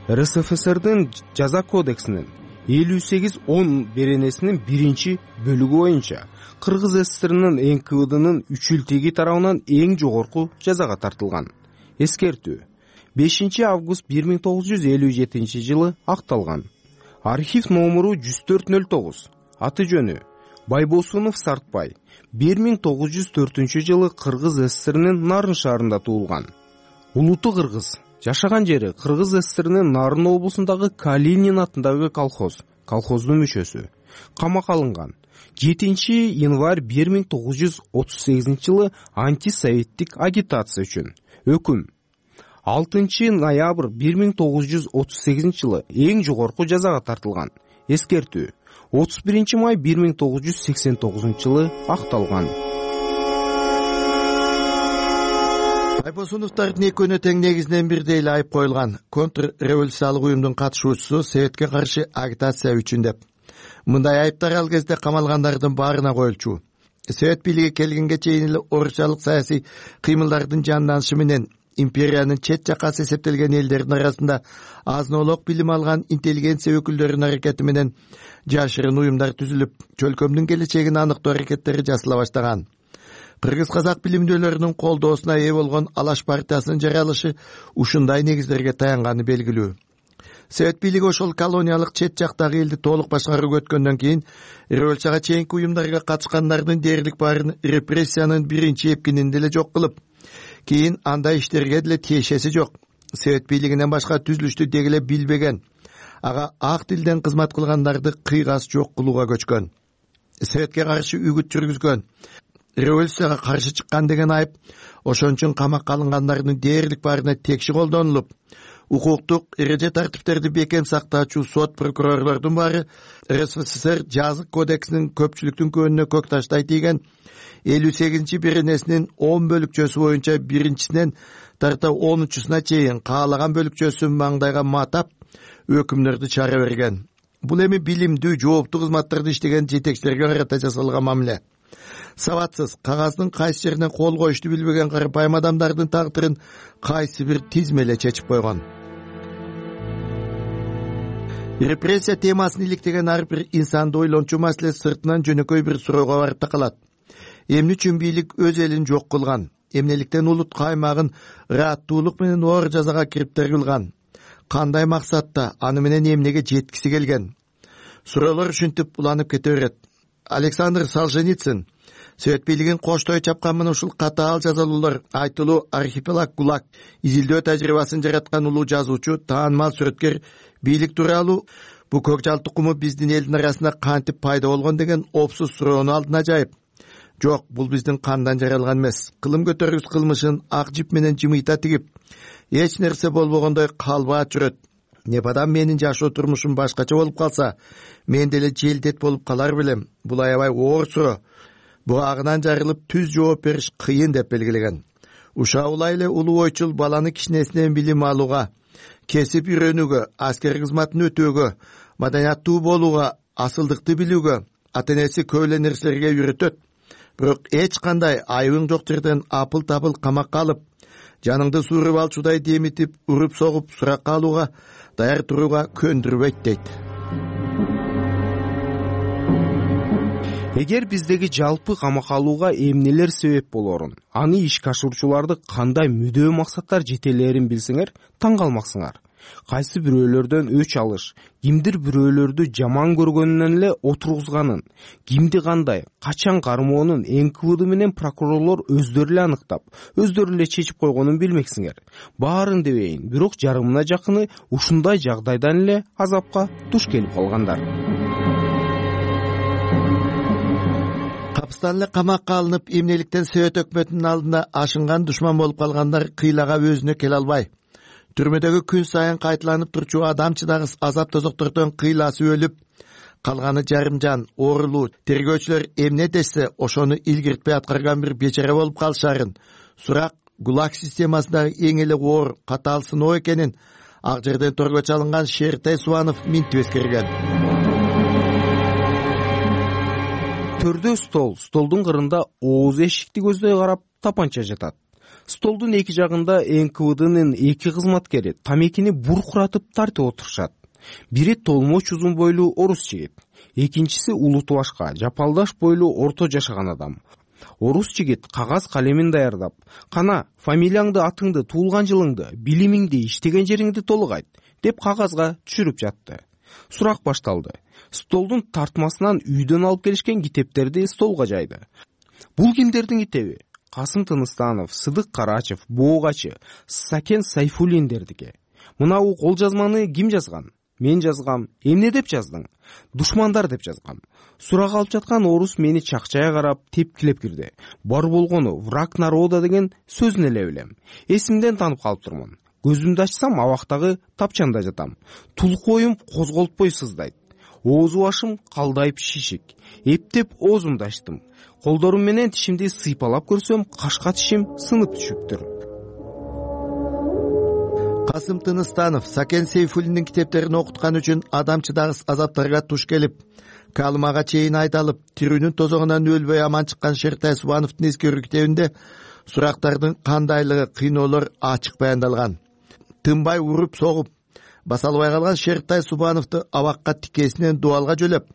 РСФСРдин жаза кодексинин 58-10 беренесинин 1-бөлүгү боюнча Кыргыз ССРнин НКВДнын үчүлтеги тарабынан эң жогорку жазага тартылган. Эскертүү 5 август 1957 жылы акталган. Архив номуру 1409. Аты жөнү Байбосунов Сартбай. 1904 жылы Кыргыз ССРнин Нарын шаарында туулган. Улуту кыргыз. Жашаган жери Кыргыз ССРнин Нарын облусундагы Калинин атындагы колхоздун мүчөсү. Камакка алынган 7 январь 1938 жылы антисоветтик агитация үчүн. Өкүм 6 ноябрь 1938 жылы эң жогорку жазага тартылган. Эскертүү 31 май 1989 жылы акталган. Байбосуновдордун экөөнө тең негизинен бирдей эле айып коюлган. Контрреволюциялык уюмдун катышуучусу, Советке каршы агитация үчүн деп. Мындай айыптар ал кезде камалгандардын баарына коюлчу. Совет бийлиги келгенге чейин эле орусчалык саясий кыймылдардын жанданышы менен империянын чет жакасы эсептелген элдердин арасында азын-олок билим алган интеллигенция өкүлдөрүнүн аракети менен жашырын уюмдар түзүлүп, чөлкөмдүн келечегин аныктоо аракеттери жасала баштаган. Кыргыз-казак билимдүүлөрүнүн колдоосуна ээ болгон Алаш партиясынын жаралышы ушундай негиздерге таянганы белгилүү. Совет бийлиги ошол колониялык чет жактагы элди толук башкарууга өткөндөн кийин революцияга чейинки уюмдарга катышкандардын дээрлик баарын репрессиянын биринчи эпкининде эле жок кылып, кийин андай иштерге деле тиешеси жок. Совет бийлигинен башка түзүлүштү дегеле билбеген, ага ак тилден кызмат кылгандарды кыйгас жок кылууга көчкөн. Советке каршы үгүт жүргүзгөн, революцияга каршы чыккан деген айып ошон үчүн камакка алынгандардын дээрлик баарына текши колдонулуп, укуктук эреже тартиптерди бекем сактаачу сот прокурорлордун баары РСФСР жазык кодексинин көпчүлүктүн көөнүнө көк таштай тийген 58 беренесинин 10 бөлүкчөсү боюнча биринчисинен тарта 10-чусуна чейин каалаган бөлүкчөсүн маңдайга матап өкүмдөрдү чыгара берген. Бул эми билимдүү, жооптуу кызматтарды иштеген жетекчилерге карата жасалган мамиле. Сабатсыз, кагаздын кайсы жерине кол коюшту билбеген карапайым адамдардын тагдырын кайсы бир тизмеле чечип койгон. Репрессия темасын иликтеген ар бир инсанды ойлончу маселе сыртынан жөнөкөй бир суроого барып такалат. Эмне үчүн бийлик өз элин жок кылган? Эмнеликтен улут аймагын ырааттуулук менен оор жазага кириптер кылган? Кандай максатта, аны менен эмнеге жеткиси келген? Суроолор ушинтип уланып кете берет. Александр Солженицин Совет бийлигин коштой чапкан мына ушул катаал жазалуулар, айтылуу архипелаг ГУЛАГ изилдөө тажрыйбасын жараткан улуу жазуучу, таанымал сүрөткер бийлик тууралуу бу көк жал тукуму биздин элдин арасында кантип пайда болгон деген опсуз суроону алдына жайып, жок, бул биздин кандан жаралган эмес, кылым көтөргүс кылмышын ак жип менен жымыйта тигип, эч нерсе болбогондой калбаат жүрөт. Непадам менин жашоо турмушум башкача болуп калса, мен деле желдет болуп калар белем. Бул аябай оор суроо. Буагынан жарылып түз жооп бериш кыйын деп белгилеген. Ушаулай эле улуу ойчул баланы кичинесинен билим алууга, кесип үйрөнүүгө, аскер кызматын өтөөгө, маданияттуу болууга, асылдыкты билүүгө, ата-энеси көп эле нерселерге үйрөтөт. Бирок эч кандай айыбың жок жерден апыл-табыл камакка алып, жаныңды suurup алчудай демитип, уруп согуп суракка алууга даяр турууга көндүрбөйт дейт. Эгер биздеги жалпы камакка алууга эмнелер себеп болорун, аны ишке ашыруучуларды кандай мүдөө максаттар жетелерин билсеңер, таң калмаксыңар. Кайсы бирөөлөрдөн өч алыш, кимдир бирөөлөрдү жаман көргөнүнөн эле отургузганын, кимди кандай, качан кармоонун НКВД менен прокурорлор өздөрү эле аныктап, өздөрү эле чечип койгонун билмексиңер. Баарын дебейин, бирок жарымына жакыны ушундай жагдайдан эле азапка туш келип калгандар. Капыстан эле камакка алынып, эмнеликтен Совет өкмөтүнүн алдында ашынган душман болуп калгандар кыйлага өзүнө келе албай. Түрмөдөгү күн сайын кайталанып турчу адамчыдагы азап тозоктордон кыйласы өлүп, калганы жарымжан, оорулуу, тергөөчүлөр эмне десе, ошону илгиртпей аткарган бир бечара болуп калышарын, сурак ГУЛАГ системасындагы эң эле оор, катаал сыноо экенин ак жерден торго чалынган Шертай Субанов минтип эскерген. Төрдө стол, столдун кырында ооз эшикти көздөй карап тапанча жатат. Столдун эки жагында НКВДнын эки кызматкери тамекини буркуратып тартып отурушат. Бири толмоч узун бойлуу орус жигит, экинчиси улуту башка, жапалдаш бойлуу орто жашаган адам. Орус жигит кагаз калемин даярдап, кана фамилияңды, атыңды, туулган жылыңды, билимиңди, иштеген жериңди толук айт деп кагазга түшүрүп жатты. Сурак башталды. Столдун тартмасынан үйдөн алып келишкен китептерди столго жайды. Бул кимдердин китеби? Касым Тыныстанов, Сыдык Карачев, Боогачы, Сакен Сайфуллиндердики. Мынау кол жазманы ким жазган? Мен жазгам. Эмне деп жаздың? Душмандар деп жазгам. Сурак алып жаткан орус мени чакчая карап тепкилеп кирди. Бар болгону враг народа деген сөзүн эле билем. Эсимден таанып калып турмун. Көзүмдү ачсам абактагы тапчанда жатам. Тулку оюм козголтпой сыздайт. Оозу башым калдайып шишик. Эптеп оозумду ачтым. Колдорум менен тишимди сыйпалап көрсөм, кашка тишим сынып түшүптүр. Касым Тыныстанов Сакен Сейфуллиндин китептерин окуткан үчүн адамчыдагы азаптарга туш келип, калымага чейин айдалып, тирүүнүн тозогунан өлбөй аман чыккан Шертай Субановдун эскерүү китебинде сурактардын кандайлыгы, кыйноолор ачык баяндалган. Тынбай уруп согуп, баса албай калган Шертай Субановду абакка тикесинен дуалга жөлөп,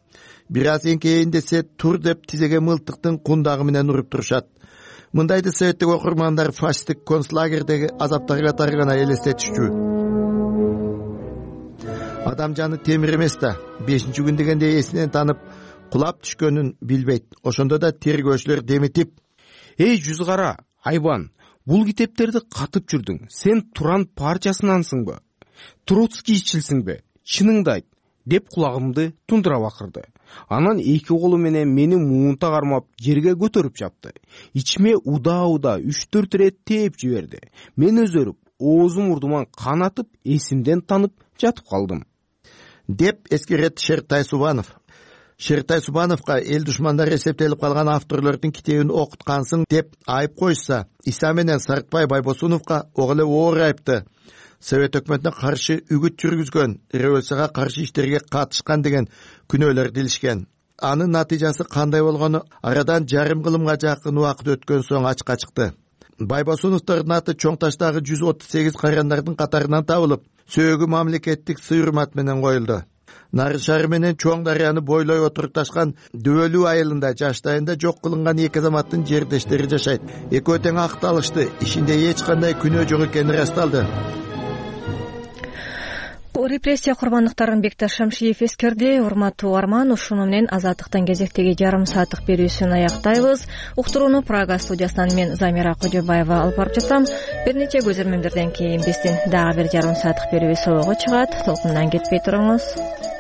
бир аз эңкейин десе тур деп тизеге мылтыктын кундагы менен уруп турушат. Мындайды советтик окурмандар фашисттик концлагердеги азаптарга тарыгана элестетишчү. Адам жаны темир эмес да, 5-чи күн дегенде эсинен танып, кулап түшкөнүн билбейт. Ошондо да тергөөчүлөр деметип: "Эй жүз кара, айбан, бул китептерди катып жүрдүң. Сен Туран партиясынансыңбы? Троцкийчилсиңби? Чыныңды айт" деп кулагымды тундура бакырды. Анан эки колу менен мени муунта кармап жерге көтөрүп чапты. Ичиме удаа 3-4 ирет тээп жиберди. Мен өзөрүп, оозум мурдуман кан атып, эсимден танып жатып калдым деп эскерет Шертай Субанов. Шертай Субановго эл душмандары эсептелип калган авторлордун китебин окуткансың деп айып коюшса, Иса менен Сартбай Байбосуновго ого эле оор айыпты Совет өкмөтүнө каршы үгүт жүргүзгөн, революцияга каршы иштерге катышкан деген күнөөлөр дилишкен. Анын натыйжасы кандай болгону арадан жарым кылымга жакын убакыт өткөн соң ачыкка чыкты. Байбосуновдордун аты чоң таштагы 138 кайрандардын катарынан табылып, сөөгү мамлекеттик сый-урмат менен коюлду. Нары шаары менен Чоң дарыяны бойлой отурукташкан Дөөлүү айылында жаштайында жок кылынган эки азаматтын жердештери жашайт. Экөө тең акталышты, ишинде эч кандай күнөө жок экени ырасталды. Репрессия курбандыктарын Бекташ Шамшиев эскерди. Урматтуу Арман, ушуну менен Азаттыктын кезектеги жарым сааттык берүүсүн аяктайбыз. Уктурууну Прага студиясынан мен Замира Кожобаева алып барып жатам. Бир нече көзөрмөндөрдөн кийин биздин дагы бир жарым сааттык берүүбүз собого чыгат. Толкундан кетпей туруңуз.